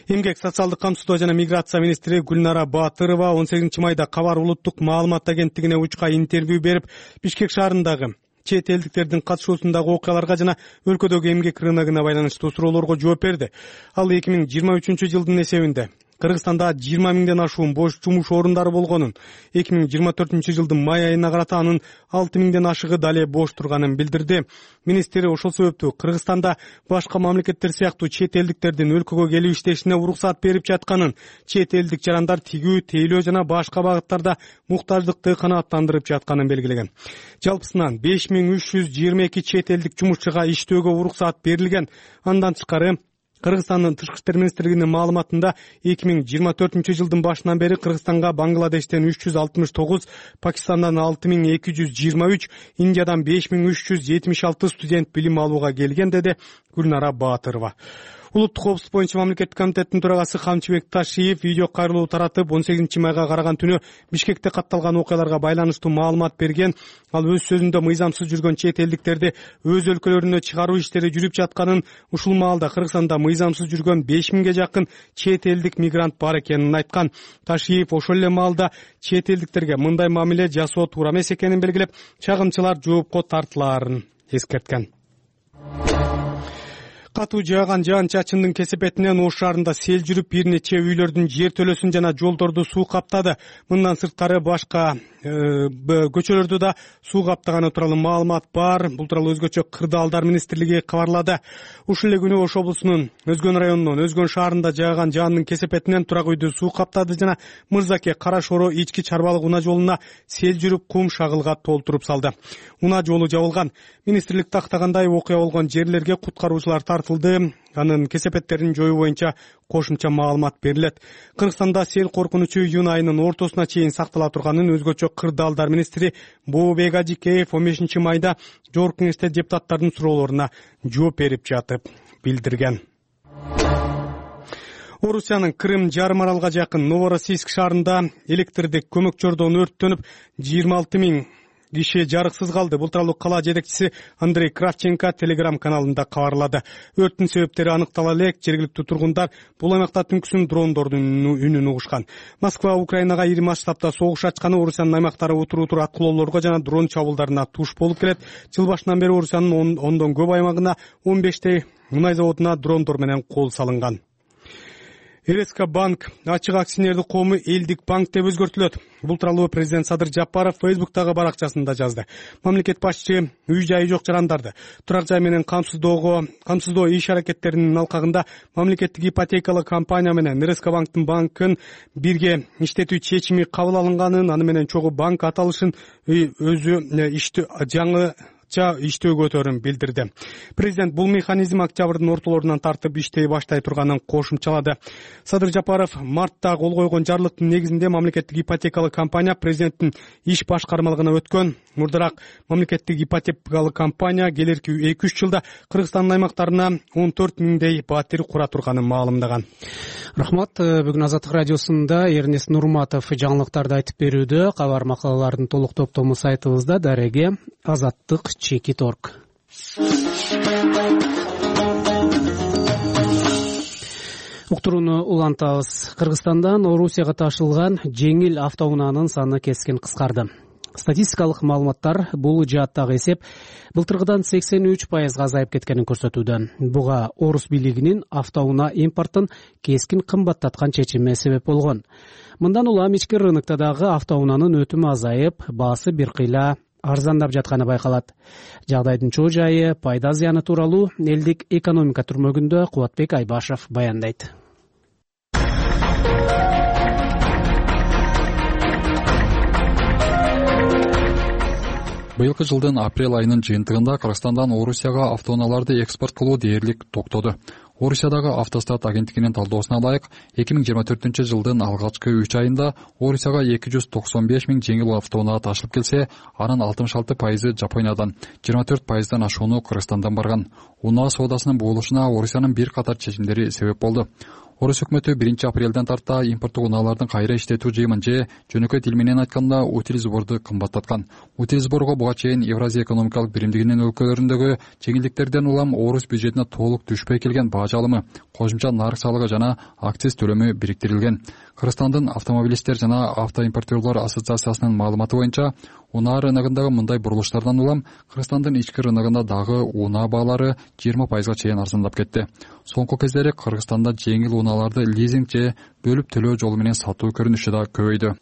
Эмгек, социалдык камсыздоо жана миграция министри Гүлнара Баатырова 18 майда Кабар улуттук маалымат агенттигине учка интервью берип, Бишкек шаарындагы чет элдиктердин катышуусундагы окуяларга жана өлкөдөгү эмгек рыногуна байланыштуу суроолорго жооп берди. Ал 2023 жылдын эсебинде Кыргызстанда 20 миңден ашуун бош жумуш орундары болгонун, 2024 жылдын май айына карата анын 6 миңден ашыгы дале бош турганын билдирди. Министр ошол себептүү Кыргызстанда башка мамлекеттер сыяктуу чет элдиктердин өлкөгө келип иштешине уруксат берип жатканын, чет элдик жарандар тигүү, тейлөө жана башка багыттарда муктаждыкты канааттандырып жатканын белгилеген. Жалпысынан 5322 чет элдик жумушчуга иштөөгө уруксат берилген. Андан тышкары Кыргызстандын Тышкы иштер министрлигинин маалыматында 2024 жылдын башынан бери Кыргызстанга Бангладештен 369, Пакистандан 6223, Индиядан 5376 студент билим алууга келген, деди Гүлнара Баатырова. Улуттук коопсуздук боюнча мамлекеттик комитеттин төрагасы Камчыбек Ташиев видео кайрылуу таратып, 18-майга караган түнү Бишкекте катталган окуяларга байланыштуу маалымат берген. Ал өз сөзүндө мыйзамсыз жүргөн чет элдиктерди өз өлкөлөрүнө чыгаруу иштери жүрүп жатканын, ушул маалда Кыргызстанда мыйзамсыз жүргөн 5000ге жакын чет элдик мигрант бар экенин айткан. Ташиев ошол эле маалда чет элдиктерге мындай мамиле жасоо туура эмес экенин белгилеп, чагымчылар жоопко тартылаарын эскерткен. Катуу жааган жаан-чачындын кесепетинен Ош шаарында сел жүрүп, бир нече үйлөрдүн жертөлөсүн жана жолдорду суу каптады. Мындан сырткары башка көчөлөрдү да суу каптаганы тууралуу маалымат бар. Бул тууралуу өзгөчө Кырдаалдар министрлиги кабарлады. Ушул эле күнү Ош облусунун Өзгөн районунун Өзгөн шаарында жааган жаандын кесепетинен турак үйдү суу каптады жана Мырзаке Кара Шоро ички чарбалык унаа жолуна сел жүрүп, кум шагылга толтуруп салды. Унаа жолу жабылган. Министрлик тактагандай окуя болгон жерлерге куткаруучулар тартылды. Анын кесепеттерин жоюу боюнча кошумча маалымат берилет. Кыргызстанда сел коркунучу июнь айынын ортосуна чейин сактала турганын өзгөчө Кырдаалдар министри Бообек Ажикеев 15-майда Жогорку Кеңеште депутаттардын суроолоруна жооп берип жатып билдирген. Орусиянын Крым жарым аралга жакын Новороссийск шаарында электрдик көмөкчөрдөн өрттөнүп 26 000 киши жарыксыз калды. Бул тууралуу кала жетекчиси Андрей Кравченко Telegram каналында кабарлады. Өрттүн себептери аныктала элек. Жергиликтүү тургундар бул аймакта түнкүсүн дрондордун үнүн угушкан. Москва Украинага ири масштабта согуш ачканы Орусиянын аймактары утур-утур аткылоолорго жана дрон чабуулдарына туш болуп келет. Жыл башынан бери Орусиянын ондон көп аймагына 15 мунай заводуна дрондор менен кол салынган. РСК банк ачык акционердик коому элдик банк деп өзгөртүлөт. Бул тууралуу президент Садыр Жапаров Facebook'тагы баракчасында жазды. Мамлекет башчы үй жайы жок жарандарды турак жай менен камсыздоо иш аракеттеринин алкагында мамлекеттик ипотекалык компания менен РСК банкын бирге иштетүү чечими кабыл алынганын, аны менен чогуу банк аталышын өзү жаңыча иштөөгө билдирди. Президент бул механизм октябрдын ортолорунан тартып иштей баштай турганын кошумчалады. Садыр Жапаров мартта кол койгон жарлыктын негизинде мамлекеттик ипотекалык компания президенттин иш башкармалыгына өткөн. Мурдараак мамлекеттик ипотекалык компания келерки 2-3 жылда Кыргызстандын аймактарына 14 000 батир кура турганын маалымдаган. Рахмат. Бүгүн Азаттык радиосунда Эрнест Нурматов жаңылыктарды айтып берүүдө. Кабар макалалардын толук топтому сайтыбызда. Дареге azattik.org. Уктурууну улантабыз. Кыргызстандан Орусияга ташылган жеңил автоунаанын саны кескин кыскарды. Статистикалык маалыматтар бул жааттагы эсеп былтыргыдан 83% азайып кеткенин көрсөтүүдө. Буга Орус бийлигинин автоунаа импортун кескин кымбаттаткан чечими себеп болгон. Мындан улам ички рынокто дагы автоунаанын өтүмү азайып, баасы бир кыйла арзандап жатканы байкалат. Жагдайдын чоо жайы, пайда зыяны тууралуу элдик экономика түрмөгүндө Кубатбек Айбашев баяндайт. Быйылкы жылдын апрель айынын жыйынтыгында Кыргызстандан Орусияга автоунааларды экспорт кылуу дээрлик токтоду. Орусиядагы Автостат агенттигинин талдоосуна ылайык, 2024 жылдын алгачкы 3 айында Орусияга 295 000 жеңил автоунаа ташылып келсе, анын 66% Жапониядан, 24%дан ашууну Кыргызстандан барган. Унаа соодасынын буулушуна Орусиянын бир катар чечимдери себеп болду. Орус өкмөтү 1 апрелден тарта импорттук унаалардын кайра иштетүү жыйымын же жөнөкөй тил менен айтканда утилизборду кымбаттаткан. Утилизборго буга чейин Евразия экономикалык биримдигинин өлкөлөрүндөгү жеңилдиктерден улам Орус бюджетине толук түшпөй келген баа жалымы, кошумча нарык салыгы жана акциз төлөмү бириктирилген. Кыргызстандын автомобилисттер жана автоимпортерлор ассоциациясынын маалыматы боюнча, унаа рыногундагы мындай бурулуштардан улам Кыргызстандын ички рыногунда дагы унаа баалары 20%га чейин арзандап кетти. Соңку кездери Кыргызстанда жеңил унааларды лизинг же бөлүп төлөө жолу менен сатуу көрүнүшү да көбөйдү.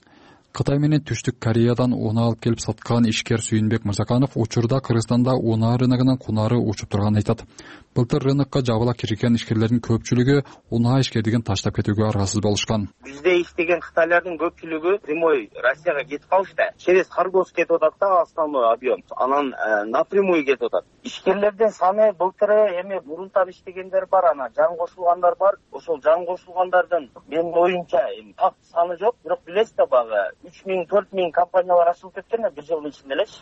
Кытай менен Түштүк Кореядан унаа алып келип саткан ишкер Сүйүнбек Мырзаканов учурда Кыргызстанда унаа рыногунун кунары учуп турганын айтат. Былтыр рынокко жабыла кирген ишкерлердин көпчүлүгү унаа ишкерлигин таштап кетүүгө аргасыз болушкан. Бизде иштеген кытайлардын көпчүлүгү прямой Россияга кетип калышты. Через Харгос кетип атат да основной объем. Анан напрямую кетип атат. Ишкерлердин саны былтыры эми мурунтан иштегендер бар, анан жан кошулгандар бар. Ошол жан кошулгандардын менин оюмча так саны жок, бирок билесиз да багы 3000-4000 компаниялар ачылып кеткен бир жылдын ичинде элечи.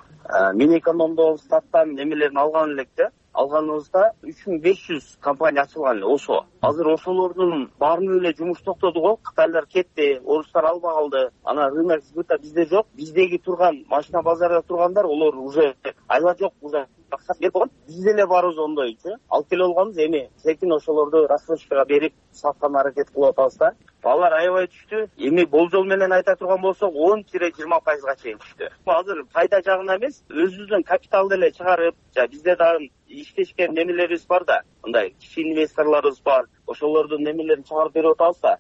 Минэкономдон статтан немелерин алган электе. алганыбызда 3500 компания ачылган эле ОСО. Азыр ошолордун баарынын эле жумуш токтоду го. Кытайлар кетти, орустар албай калды. Анан рынок сбыта бизде жок. Биздеги турган машина базарда тургандар олар уже айла жок, уже акчасы берип койгон. Биз деле барыбыз ондойчу. Алып келе алганбыз, эми секин ошолорду рассрочкага берип саткан аракет кылып атабыз да. Балар аябай түштү. Эми болжол менен айта турган болсок 10-20%га чейин түштү. Азыр пайда жагына эмес, өзүбүздүн капиталды эле чыгарып, бизде дагы иштешкен немелерибиз бар да, мындай кичи инвесторлорубуз бар. Ошолордун немелерин чыгарып берип атабыз да.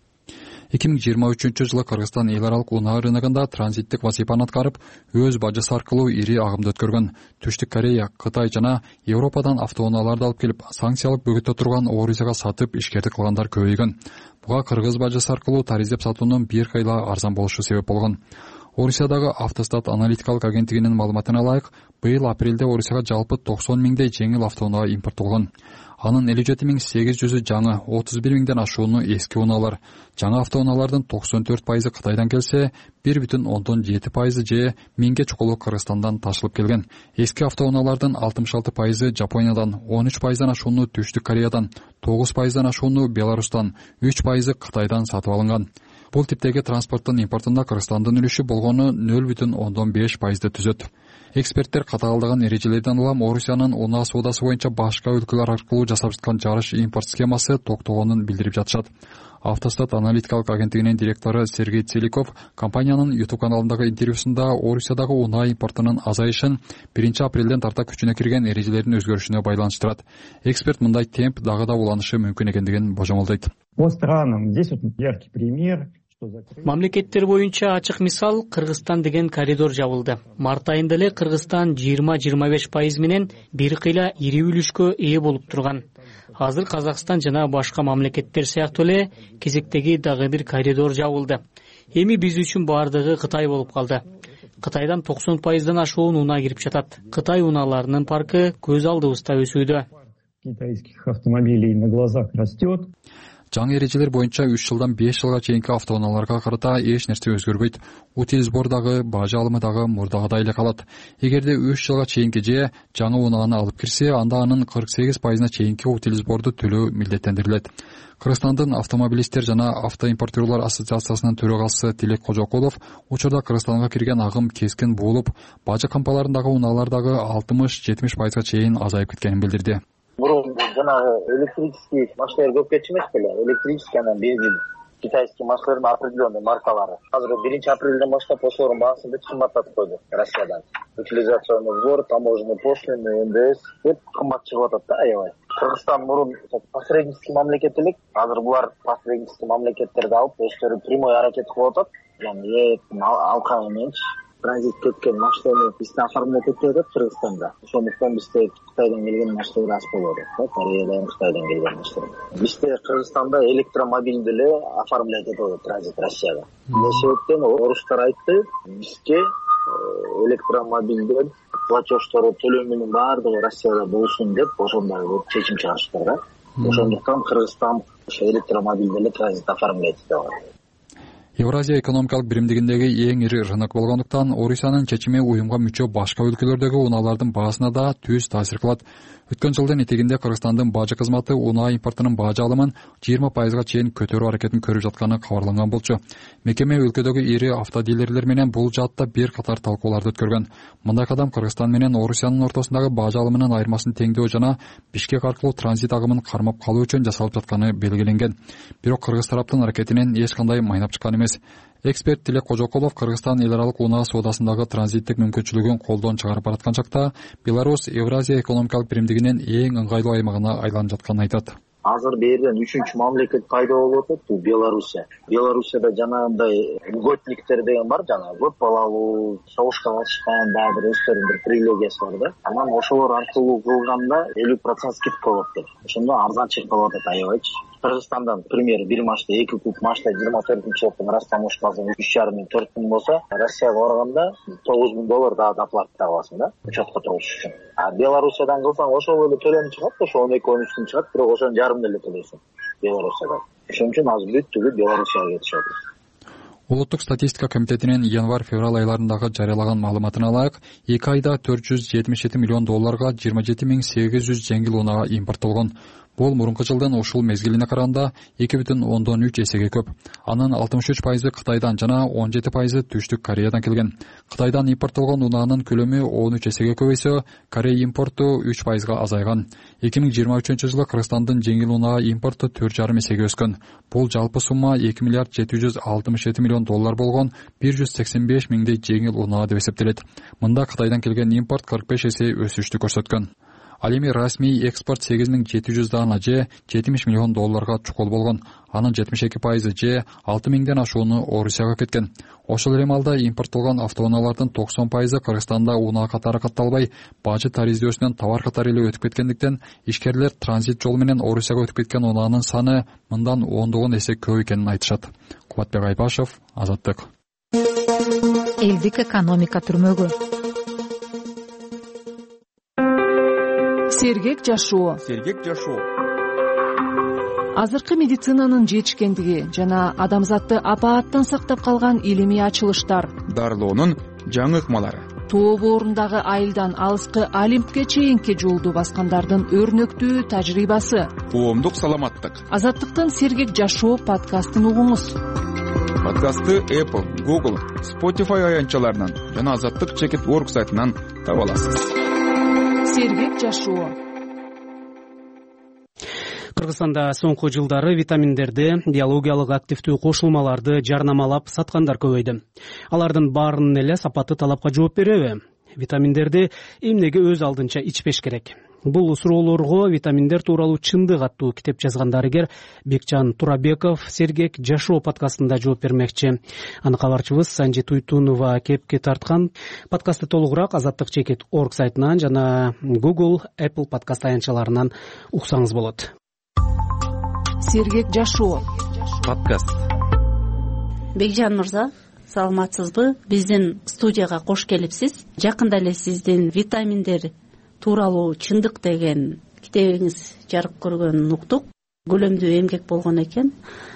2023-жылы Кыргызстан эл аралык унаа рыногунда транзиттик вазифаны аткарып, өз бажасы аркылуу ири агымды өткөргөн. Түштүк Корея, Кытай жана Европадан автоунааларды алып келип, санкциялык бөгөттө турган Орусияга сатып ишкердик кылгандар көбөйгөн. Буга кыргыз бажасы аркылуу тариздеп сатуунун бир кыйла арзан болушу себеп болгон. Орусиядагы Автостат аналитикалык агенттигинин маалыматына ылайык, быйыл апрелде Орусияга жалпы 90 миңдей жеңил автоунаа импорттолгон. Анын 57.800-ü жаңы, 31 миңден ашууну эски унаалар. Жаңы автоунаалардын 94% Кытайдан келсе, 1,7% же 1000ге чукулу Кыргызстандан ташылып келген. Эски автоунаалардын 66% Жапониядан, 13% ашууну Түштүк Кореядан, 9% ашууну Беларустан, 3% Кытайдан сатып алынган. Бул типтеги транспорттун импортунда Кыргызстандын үлүшү болгону 0,5%ды түзөт. Эксперттер катаалдаган эрежелерден улам Орусиянын унаа соодасы боюнча башка өлкөлөр аркылуу жасап жаткан жарыш импорт схемасы токтогонун билдирип жатышат. Автостат аналитикалык агенттигинин директору Сергей Целиков компаниянын YouTube каналындагы интервьюсунда Орусиядагы унаа импортунун азайышын 1 апрелден тарта күчүнө кирген эрежелердин өзгөрүшүнө байланыштырат. Эксперт мындай темп дагы да уланышы мүмкүн экендигин божомолдойт. По странам здесь вот яркий пример. Мамлекеттер боюнча ачык мисал Кыргызстан деген коридор жабылды. Март айында эле Кыргызстан 20-25% менен бир кыйла ири үлүшкө ээ болуп турган. Азыр Казакстан жана башка мамлекеттер сыяктуу эле кезектеги дагы бир коридор жабылды. Эми биз үчүн бардыгы Кытай болуп калды. Кытайдан 90%дан ашуун унаа кирип жатат. Кытай унааларынын паркы көз алдыбызда өсүүдө. Китайских автомобилей на глазах растет. Жаңы эрежелер боюнча 3 жылдан 5 жылга чейинки автоунааларга карата эч нерсе өзгөрбөйт. Утил сбор дагы, бажы алымы дагы мурдагыдай эле калат. Эгерде 3 жылга чейинки же жаңы унааны алып кирсе, анда анын 48%-на чейинки утил сборду төлөө милдеттендирилет. Кыргызстандын автомобилисттер жана автоимпортерлор ассоциациясынын төрагасы Тилек Кожокулов учурда Кыргызстанга кирген агым кескин буулуп, бажы кампаларындагы унаалар дагы 60-70%га чейин азайып кеткенин билдирди. Мурун жанагы электрический машиналар көп кетчү эмес беле? Электрический анан бензин. Китайский машиналардын определенный маркалары. Азыр 1 апрелден баштап ошолордун баасын бүт кымбаттатып койду Россиядан. Утилизационный сбор, таможенный пошлины, НДС деп кымбат чыгып атат да аябай. Кыргызстан мурун посреднический мамлекет элек. Азыр булар посреднический мамлекеттерди алып, өздөрү прямой аракет кылып атат. Яны алка мененчи транзит кеткен машинаны бизде оформлять этип атат Кыргызстанда. Ошондуктан бизде Кытайдан келген машиналар аз болот. Кореядан, Кытайдан келген машиналар. Бизде Кыргызстанда электромобилди эле оформлять этип атат транзит Россияга. Ошол себептен орустар айтты, бизге электромобилдер платежтору төлөмүнүн баардыгы Россияда болсун деп ошондой чечим чыгарыштыр да. Ошондуктан Кыргызстан ошо электромобилди эле транзит оформлять этип атат. Евразия экономикалык биримдигиндеги эң ири рынок болгондуктан Орусиянын чечими уюмга мүчө башка өлкөлөрдөгү унаалардын баасына да түз таасир кылат. Өткөн жылдын этегинде Кыргызстандын бажы кызматы унаа импортунун бажы алымын 20%га чейин көтөрүү аракетин көрүп жатканы кабарланган болчу. Мекеме өлкөдөгү ири автодилерлер менен бул жаатта бир катар талкууларды өткөргөн. Мындай кадам Кыргызстан менен Орусиянын ортосундагы бажы алымынын айырмасын теңдөө жана Бишкек аркылуу транзит агымын кармап калуу үчүн жасалып жатканы белгиленген. Бирок кыргыз тараптын аракетинен эч кандай майнап чыккан эмес. Эксперт Тилек Кожокулов Кыргызстан эл аралык унаа соодасындагы транзиттик мүмкүнчүлүгүн колдон чыгарып бараткан чакта Беларусь Евразия экономикалык биримдигинин эң ыңгайлуу аймагына айланып жатканын айтат. Азыр берден 3-чү мамлекет пайда болуп атат, бул Белоруссия. Белоруссияда жанагындай льготниктер деген бар, жана көп балалуу, согушка катышкан, дагы бир өздөрүнүн бир привилегиясы бар да. Анан ошолор аркылуу кылганда 50% скидка болот деп. Ошондо арзан чыгып калып атат аябайчы. Кыргызстандан, к примеру, бир машина 2 куб машина 24-жылдын растаможкасы 3,5-4 миң болсо, Россияга барганда $9,000 дагы доплата аласың да, учетко туруш үчүн. А Белоруссиядан кылсаң ошол эле төлөм чыгат, ошо 12-13 чыгат, бирок ошонун жарымын эле төлөйсүң Белоруссиядан. Ошон үчүн азыр бүт түгүл Белоруссияга кетишет. Улуттук статистика комитетинин январь-февраль айларындагы жарыялаган маалыматына ылайык, 2 айда $477 миллион 27,800 жеңил унаа импорттолгон. Бул мурунку жылдын ушул мезгилине караганда 2,3 эсеге көп. Анын 63% Кытайдан жана 17% Түштүк Кореядан келген. Кытайдан импорттолгон унаанын көлөмү 13 эсеге көбөйсө, Корея импорту 3% азайган. 2023-жылы Кыргызстандын жеңил унаа импорту 4,5 эсеге өскөн. Бул жалпы сумма $2,767 миллион болгон 185 миңдей жеңил унаа деп эсептелет. Мында Кытайдан келген импорт 45 эсе өсүштү көрсөткөн. Ал эми расмий экспорт 8700 даана же $70 миллион чукул болгон. Анын 72% же 6000ден ашууну Орусияга кеткен. Ошол эле маалда импорттолгон автоунаалардын 90% Кыргызстанда унаа катары катталбай, бажы тариздөсүнөн товар катары эле өтүп кеткендиктен, ишкерлер транзит жол менен Орусияга өтүп кеткен унаанын саны мындан 10 эсе көп экенин айтышат. Кубатбек Айбашев, Азаттык. Элдик экономика түрмөгү. Сергек жашоо. Азыркы медицинанын жетишкендиги жана адамзатты апааттан сактап калган илимий ачылыштар, дарылоонун жаңы ыкмалары, тоо боорундагы айылдан алыскы Олимпке чейинки жолду баскандардын өрнөктүү тажрыйбасы, коомдук саламаттык. Азаттыктын Сергек жашоо подкастын угуңуз. Подкастты Apple, Google, Spotify аянтчаларынан жана Азаттык.org сайтынан таба аласыз. Сергек жашоо. Кыргызстанда соңку жылдары витаминдерди, биологиялык активдүү кошулмаларды жарнамалап саткандар көбөйдү. Алардын баарынын эле сапаты талапка жооп береби? Витаминдерди эмнеге өз алдынча ичпеш керек? Бул суроолорго витаминдер тууралуу чындык аттуу китеп жазган дарыгер Бекжан Турабеков Сергек жашоо подкастында жооп бермекчи. Аны кабарчыбыз Санжи Туйтунова кепке тарткан. Подкастты толугураак Азаттык.org сайтынан жана Google, Apple подкаст аянтчаларынан уксаңыз болот. Сергек жашоо подкаст. Бекжан мырза, саламатсызбы? Биздин студияга кош келипсиз. Жакында эле сиздин витаминдер тууралуу чындык деген китебиңиз жарык көргөнүн уктук. Көлөмдүү эмгек болгон экен.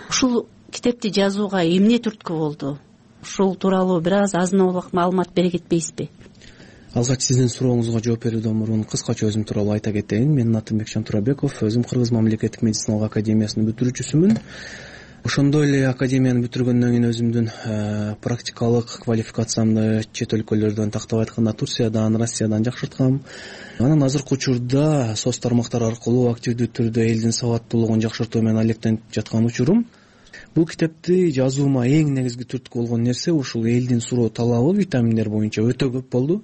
Ушул китепти жазууга эмне түрткү болду? Ушул тууралуу бир аз азын-аулак маалымат бере кетпейсизби? Алгач сиздин сурооңузга жооп берүүдөн мурун кыскача өзүм тууралуу айта кетейин. Менин атым Бекжан Турабеков, өзүм Кыргыз мамлекеттик медициналык академиясынын бүтүрүүчүсүмүн. Ошондой эле академияны бүтүргөндөн кийин өзүмдүн практикалык квалификациямды чет өлкөлөрдөн, тактап айтканда Турциядан, Россиядан жакшырткам. Анан азыркы учурда соц тармактар аркылуу активдүү түрдө элдин сабаттуулугун жакшыртуу менен алектенип жаткан учурум. Бул китепти жазуума эң негизги түрткү болгон нерсе ушул элдин суроо талабы витаминдер боюнча өтө көп болду.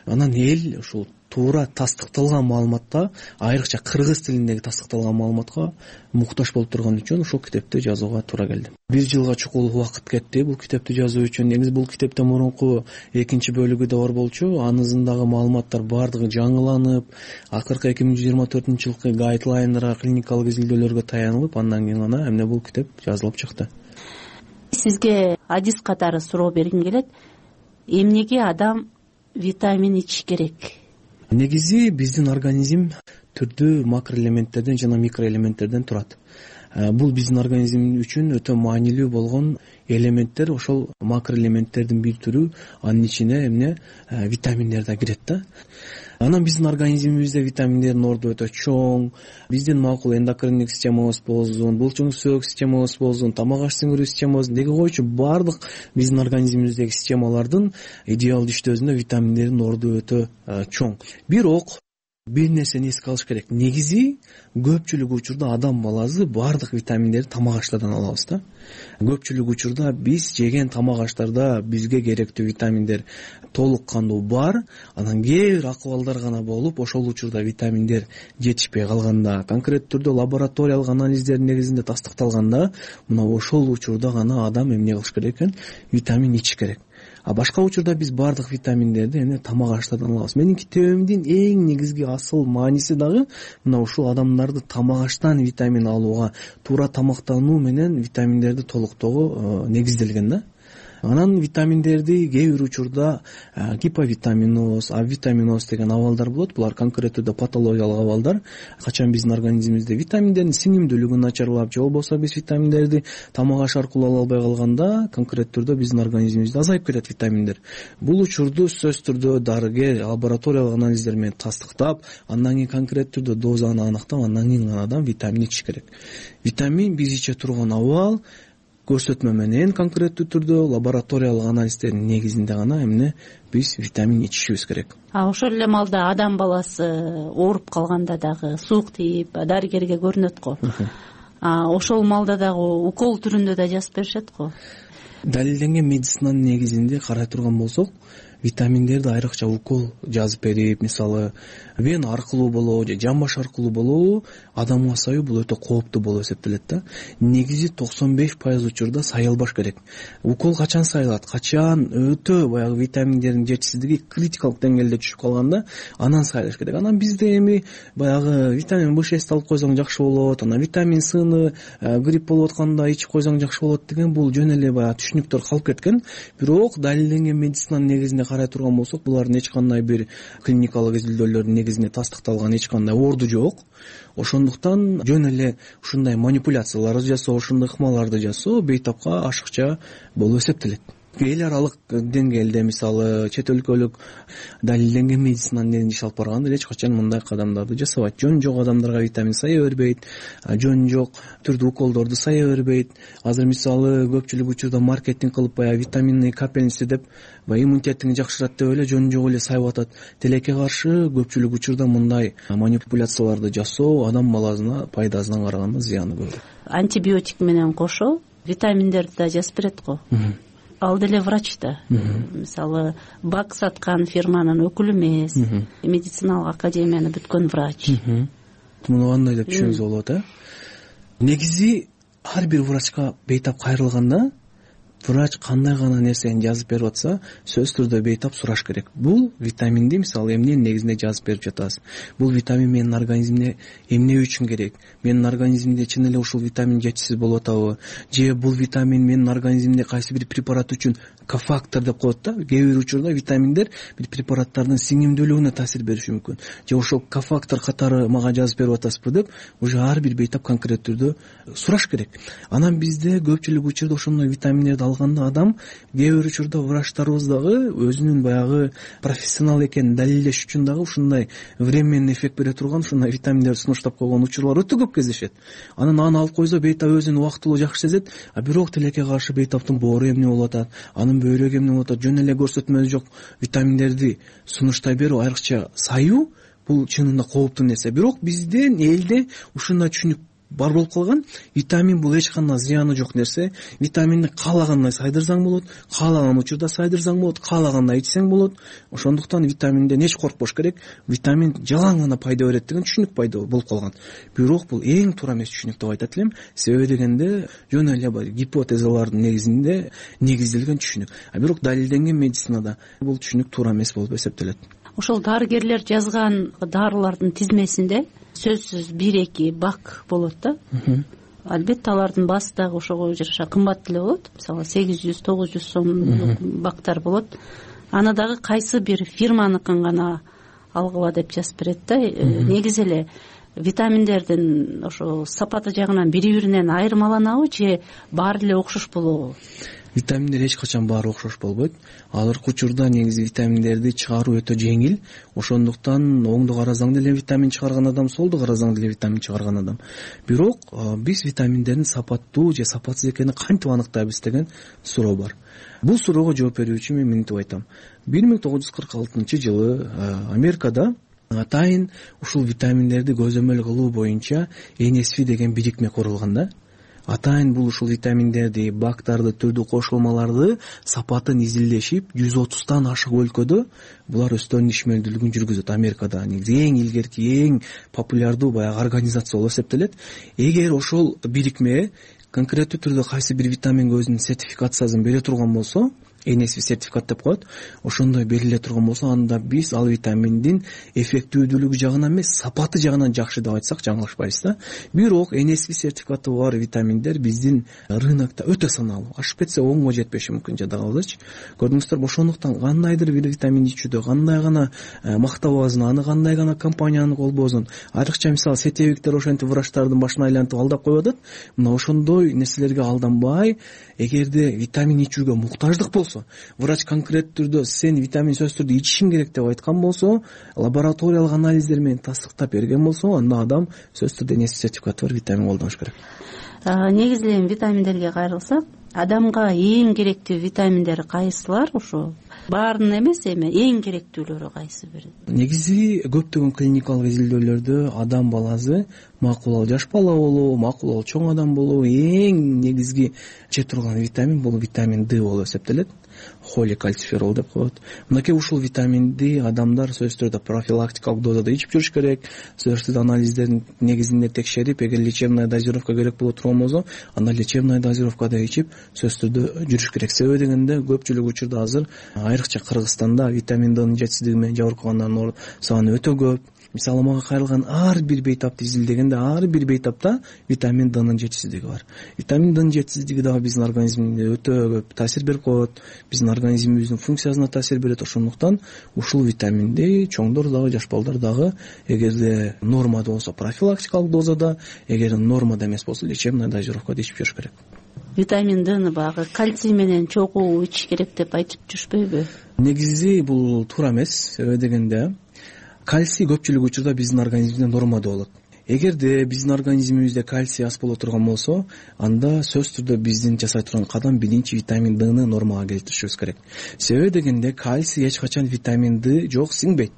Анан эл ушул туура тастыкталган маалыматка, айрыкча кыргыз тилиндеги тастыкталган маалыматка муктаж болуп турган үчүн ушул китепти жазууга туура келди. 1 жылга чукул убакыт кетти бул китепти жазуу үчүн. Негизи бул китептен мурунку экинчи бөлүгү да бар болчу. Анысындагы маалыматтар баардыгы жаңыланып, акыркы 2024-жылкы гайдлайндарга, клиникалык изилдөөлөргө таянылып, андан кийин гана эмне бул китеп жазылып чыкты. Сизге адис катары суроо бергим келет. Эмнеге адам витамин ичиш керек? Негизи биздин организм түрдүү макроэлементтерден жана микроэлементтерден турат. Бул биздин организм үчүн өтө маанилүү болгон элементтер. Ошол макроэлементтердин бир түрү, анын ичине эмне витаминдер да кирет да. Анан биздин организмибизде витаминдердин орду өтө чоң. Биздин макул эндокриндик системабыз болсун, булчуңсөөк системабыз болсун, тамак аш сиңирүү системабыз, деги койчу баардык биздин организмибиздеги системалардын идеалдуу иштөөсүндө витаминдердин орду өтө чоң. Бирок бир нерсени эске алыш керек. Негизи көпчүлүк учурда адам баласы баардык витаминдерди тамак аштардан алабыз да. Көпчүлүк учурда биз жеген тамак аштарда бизге керектүү витаминдер толук кандуу бар. Анан кээ бир акыбалдар гана болуп, ошол учурда витаминдер жетишпей калганда, конкреттүү түрдө лабораториялык анализдердин негизинде тастыкталганда, мына ошол учурда гана адам эмне кылыш керек экен? Витамин ичиш керек. А башка учурда биз баардык витаминдерди эмне тамак аштардан алабыз. Менин китебимдин эң негизги асыл мааниси дагы мына ушул адамдарды тамак аштан витамин алууга, туура тамактануу менен витаминдерди толуктоого негизделген да. Анан витаминдерди кээ бир учурда гиповитаминоз, авитаминоз деген абалдар болот. Булар конкреттүү түрдө патологиялык абалдар. Качан биздин организмибизде витаминдердин сиңимдүүлүгү начарлап же болбосо биз витаминдерди тамак аш аркылуу ала албай калганда конкреттүү түрдө биздин организмибизде азайып кетет витаминдер. Бул учурду сөзсүз түрдө дарыгер лабораториялык анализдер менен тастыктап, андан кийин конкреттүү түрдө дозаны аныктап, андан кийин гана адам витамин ичиш керек. Витамин биз иче турган абал көрсөтмө менен конкреттүү түрдө лабораториялык анализдердин негизинде гана эмне биз витамин ичишибиз керек. Ошол эле маалда адам баласы ооруп калганда дагы суук тийип дарыгерге көрүнөт го. Ошол маалда дагы укол түрүндө да жазып беришет го. Далилденген медицинанын негизинде карай турган болсок, витаминдерди айрыкча укол жазып берип, мисалы вена аркылуу болобу же жамбаш аркылуу болобу адамга саюу бул өтө кооптуу болуп эсептелет да. Негизи 95% учурда сайылбаш керек. Укол качан сайылат? Качан өтө баягы витаминдердин жетишсиздиги критикалык деңгээлде түшүп калганда анан сайылыш керек. Анан бизде эми баягы витамин B6 алып койсоң жакшы болот, анан витамин Сны грипп болуп атканда ичип койсоң жакшы болот деген бул жөн эле баягы түшүнүктөр калып кеткен. Бирок далилденген медицинанын негизинде карай турган болсок, булардын эч кандай бир клиникалык изилдөөлөрдүн негизинде тастыкталган эч кандай орду жок. Ошондуктан жөн эле ушундай манипуляцияларды жасоо, ушундай ыкмаларды жасоо бейтапка ашыкча болуп эсептелет. Эл аралык деңгээлде мисалы чет өлкөлүк далилденген медицинанын негизинде иш алып барганда эч качан мындай кадамдарды жасабайт. Жөн жок адамдарга витамин сая бербейт, жөн жок түрдүү уколдорду сая бербейт. Азыр мисалы көпчүлүк учурда маркетинг кылып баягы витаминный капельница деп баягы иммунитетиңди жакшырат деп эле жөн жок эле сайып атат. Тилекке каршы көпчүлүк учурда мындай манипуляцияларды жасоо адам баласына пайдасынан караганда зыяны көп. Антибиотик менен кошо витаминдерди да жазып берет го. Ал деле врач да. Мисалы бак саткан фирманын өкүлү эмес, медициналык академияны бүткөн врач. Муну кандай деп түшүнүңүзгө болот, Негизи ар бир врачка бейтап кайрылганда врач кандай гана нерсени жазып берип атса, сөзсүз түрдө бейтап сураш керек. Бул витаминди мисалы эмненин негизинде жазып берип жатасыз? Бул витамин менин организмине эмне үчүн керек? Менин организмимде чын эле ушул витамин жетишсиз болуп атабы? Же бул витамин менин организмимде кайсы бир препарат үчүн кофактор деп коет да. Кээ бир учурда витаминдер бир препараттардын сиңимдүүлүгүнө таасир бериши мүмкүн. Же ошол кофактор катары мага жазып берип атасызбы деп уже ар бир бейтап конкреттүү түрдө сураш керек. Анан бизде көпчүлүк учурда ошондой витаминдерди алганда адам кээ бир учурда врачтарыбыз дагы өзүнүн баягы профессионал экенин далилдеш үчүн дагы ушундай временный эффект бере турган ушундай витаминдерди сунуштап койгон учурлар өтө көп кездешет. Анан аны алып койсо бейтап өзүн убактылуу жакшы сезет, бирок тилекке каршы бейтаптын боору эмне болуп атат, анын бөйрөгү эмне болуп атат, жөн эле көрсөтмөсү жок витаминдерди сунуштай берүү, айрыкча саюу бул чынында кооптуу нерсе. Бирок биздин элде ушундай түшүнүк бар болуп калган. Витамин бул эч кандай зыяны жок нерсе. Витаминди каалагандай сайдырсаң болот, каалаган учурда сайдырсаң болот, каалагандай ичсең болот. Ошондуктан витаминден эч коркпош керек. Витамин жалаң гана пайда берет деген түшүнүк пайда болуп калган. Бирок бул эң туура эмес түшүнүк деп айтат элем. Себеби дегенде жөн эле бар гипотезалардын негизинде негизделген түшүнүк. Бирок далилденген медицинада бул түшүнүк туура эмес болуп эсептелет. Ошол дарыгерлер жазган дарылардын тизмесинде сөзсүз 1-2 бак болот да. Албетте алардын баасы дагы ошого жараша кымбат деле болот. Мисалы 800-900 сом бактар болот. Аны дагы кайсы бир фирманыкын гана алгыла деп жазып берет да. Негизи эле витаминдердин ошо сапаты жагынан бири-биринен айырмаланабы же баары эле окшош болобу? Витаминдер эч качан баары окшош болбойт. Азыркы учурда негизи витаминдерди чыгаруу өтө жеңил. Ошондуктан оңду карасаң деле витамин чыгарган адам, солду карасаң деле витамин чыгарган адам. Бирок биз витаминдердин сапаттуу же сапатсыз экенин кантип аныктайбыз деген суроо бар. Бул суроого жооп берүү үчүн мен мынтип айтам. 1946-жылы Америкада атайын ушул витаминдерди көзөмөл кылуу боюнча NSF деген бирикме курулган да. Атайын бул ушул витаминдерди, бактарды, түрдүү кошулмаларды сапатын изилдешип, 130тан ашык өлкөдө булар өздөрүнүн ишмердүүлүгүн жүргүзөт. Америкада негизи эң илгерки, эң популярдуу баягы организация болуп эсептелет. Эгер ошол бирикме конкреттүү түрдө кайсы бир витаминге өзүнүн сертификациясын бере турган болсо, NSV сертификат деп коет. Ошондой бериле турган болсо, анда биз ал витаминдин эффективдүүлүгү жагынан эмес, сапаты жагынан жакшы деп айтсак жаңылышпайбыз да. Бирок NSV сертификаты бар витаминдер биздин рынокто өтө саналуу. Ашып кетсе 10го жетпеши мүмкүн жада калбызчы. Көрдүңүздөр, ошондуктан кандайдыр бир витамин ичүүдө кандай гана мактабабызын, аны кандай гана компаниянын колбоосун, айрыкча мисалы сетевиктер ошентип врачтардын башына айлантып алдап коюп атат. Мына ошондой нерселерге алданбай, эгерде витамин ичүүгө муктаждык болсо, врач конкреттүү түрдө сен витамин сөзсүз түрдө ичишиң керек деп айткан болсо, лабораториялык анализдер менен тастыктап берген болсо, анда адам сөзсүз түрдө NSV сертификаты бар витамин колдонуш керек. Негизи эле витаминдерге кайрылсак, адамга эң керектүү витаминдер кайсылар? Ошо баарын эмес, эми эң керектүүлөрү кайсы бири? Негизи көптөгөн клиникалык изилдөөлөрдө адам баласы макул жаш бала болобу, макул чоң адам болобу, эң негизги иче турган витамин бул витамин D болуп эсептелет. Холикальциферол деп коет. Мынакей ушул витаминди адамдар сөзсүз түрдө профилактикалык дозада ичип жүрүш керек. Сөзсүз түрдө анализдердин негизинде текшерип, эгер лечебная дозировка керек боло турган болсо, анда лечебная дозировкада ичип сөзсүз түрдө жүрүш керек. Себеби дегенде көпчүлүк учурда азыр айрыкча Кыргызстанда витамин Д'нын жетишсиздиги менен жабыркагандардын саны өтө көп. Мисалы мага кайрылган ар бир бейтапты изилдегенде ар бир бейтапта витамин Д'нын жетишсиздиги бар. Витамин Д'нын жетишсиздиги дагы биздин организмибизге өтө көп таасир берип коет. Биздин организмибиздин функциясына таасир берет. Ошондуктан ушул витаминди чоңдор дагы, жаш балдар дагы эгерде нормада болсо профилактикалык дозада, эгер нормада эмес болсо лечебная дозировкада ичип жүрүш керек. Витамин Д'ны багы кальций менен чогуу ичиш керек деп айтып жүрүшпөйбү? Негизи бул туура эмес. Себеби дегенде кальций көпчүлүк учурда биздин организмибизде нормада болот. Эгерде биздин организмибизде кальций аз боло турган болсо, анда сөзсүз түрдө биздин жасай турган кадам биринчи витамин Д'ны нормага келтиришибиз керек. Себеби дегенде кальций эч качан витамин Д жок сиңбейт.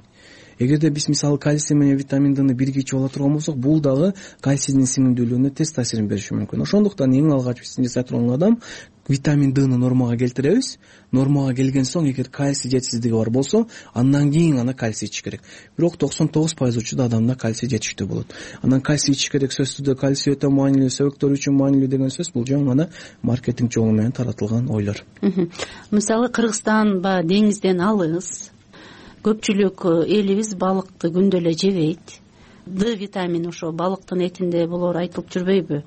Эгерде биз мисалы кальций менен витамин Д'ны бирге ичип ала турган болсок, бул дагы кальцийдин сиңимдүүлүгүнө терс таасирин бериши мүмкүн. Ошондуктан эң алгач биз жасай турган кадам витамин Д'ны нормага келтиребиз. Нормага келген соң, эгер кальций жетишсиздиги бар болсо, андан кийин ана кальций ичиш керек. Бирок 99% учурда адамда кальций жетиштүү болот. Анан кальций ичиш керек сөзсүз түрдө кальций өтө маанилүү, сөбөктөр үчүн маанилүү деген сөз бул жөн гана маркетинг жолу менен таратылган ойлор. Мисалы Кыргызстан деңизден алыс, көпчүлүк элибиз балыкты күндө эле жебейт. Д витамини ошо балыктын этинде болор айтылып жүрбөйбү?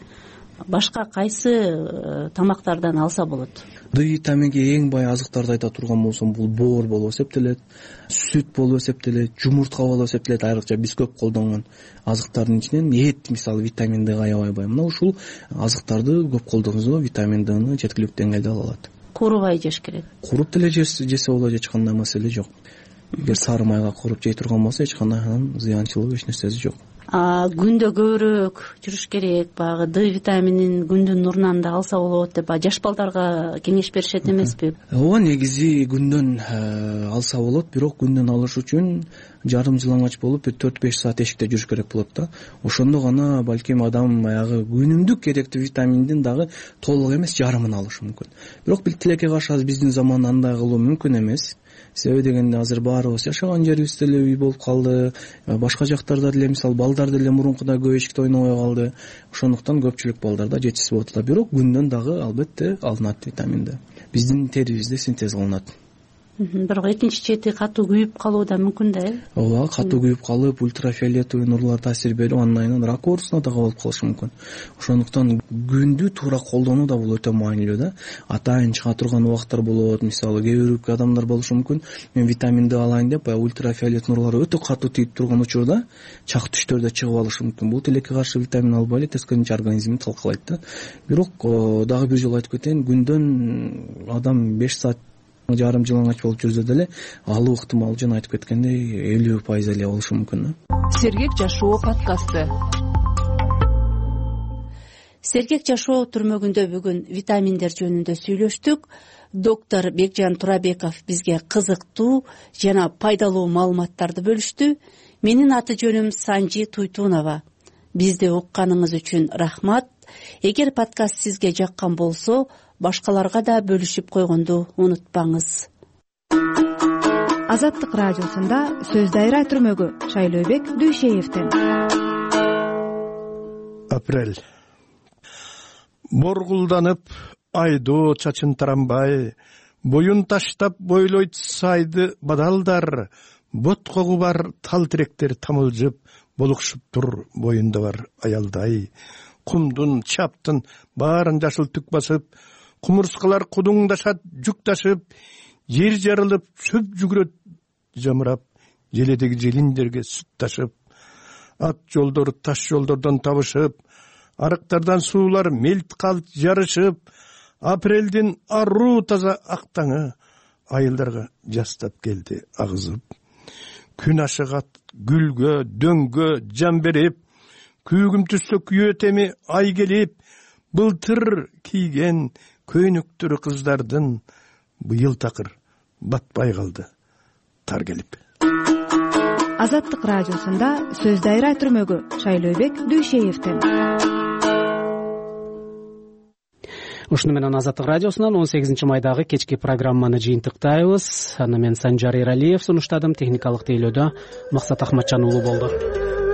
Башка кайсы тамактардан алса болот? Д витаминге эң бай азыктарды айта турган болсом, бул боор болуп эсептелет, сүт болуп эсептелет, жумуртка болуп эсептелет. Айрыкча биз көп колдонгон азыктардын ичинен эт мисалы витамин Д'га аябай бай. Мына ушул азыктарды көп колдонсо витамин Д'ны жеткиликтүү деңгээлде ала алат. Куурубай жеш керек. Куруп деле жесе болот, эч кандай маселе жок. Эгер сары майга куруп жей турган болсо, эч кандай зыянчылыгы, эч нерсеси жок. Күндө көбүрөөк жүрүш керек, багы Д витаминин күндүн нурунан да алса болот деп жаш балдарга кеңеш беришет эмеспи? Ооба, негизи күндөн алса болот, бирок күндөн алыш үчүн жарым жылаңач болуп 4-5 саат эшикте жүрүш керек болот да. Ошондо гана балким адам аягы күнүмдүк керектүү витаминдин дагы толук эмес жарымын алышы мүмкүн. Бирок тилекке каршы азыр биздин заманда андай кылуу мүмкүн эмес. Себеби дегенде азыр баарыбыз жашаган жерибизде эле үй болуп калды. Башка жактарда деле мисалы балдар деле мурункудай көп эшикте ойнобой калды. Ошондуктан көпчүлүк балдарда жетишсиз болуп атат. Бирок күндөн дагы албетте алынат витаминде. Биздин терибизде синтез кылынат. Бирок экинчи чети катуу күйүп калуу да мүмкүн да, Ооба, катуу күйүп калып, ультрафиолетовый нурлар таасир берип, андан рак оорусуна да кабылып калышы мүмкүн. Ошондуктан күндү туура колдонуу да бул өтө маанилүү да. Атайын чыга турган убакыттар болот. Мисалы кээ бир адамдар болушу мүмкүн. Мен витамин Д алайын деп, ультрафиолет нурлары өтө катуу тийип турган учурда чак түштөрдө чыгып алышы мүмкүн. Бул тилекке каршы витамин албай эле тескерисинче организмди талкалайт да. Бирок дагы бир жолу айтып кетейин, күндөн адам 5 саат жарым жылаңач болуп жүрсө деле алуу ыктымал жана айтып кеткендей 50% эле болушу мүмкүн. Сергек жашоо подкасты. Сергек жашоо түрмөгүндө бүгүн витаминдер жөнүндө сүйлөштүк. Доктор Бекжан Турабеков бизге кызыктуу жана пайдалуу маалыматтарды бөлүштү. Менин аты жөнүм Санжи Туйтунова. Бизди укканыңыз үчүн рахмат. Эгер подкаст сизге жаккан болсо, башкаларга да бөлүшүп койгонду унутпаңыз. Азаттык радиосунда сөз дайра түрмөгү Шайлообек Дүйшеевден. Апрель. Боргулданып айдоо чачын таранбай, боюн таштап бойлойт сайды бадалдар, боткогу бар тал тиректер тамылжып, болукшуп тур боюнда бар аялдай. Кумдун, чаптын баарын жашыл түк басып, кумурскалар кудуңдашат жүк ташып, жер жарылып, сөп жүгүрөт жамырап, желедеги желиндерге сүт ташып, ат жолдор таш жолдордон табышып, арыктардан суулар мелт калт жарышып, апрелдин аруу таза актаңы айылдарга жастап келди агызып. Күн ашыгат гүлгө, дөңгө жан берип, күйгүм түстө күйөтеми ай келип, былтыр кийген көйнөктөрү кыздардын быйыл такыр батпай калды тар келип. Азаттык радиосунда сөз дайра түрмөгү Шайлообек Дүйшеевден. Ушуну менен Азаттык радиосунан 18 майдагы кечки программаны жыйынтыктайбыз. Аны мен Санжар Эралиев сунуштадым, техникалык тейлөөдө Максат Ахматжан уулу болду.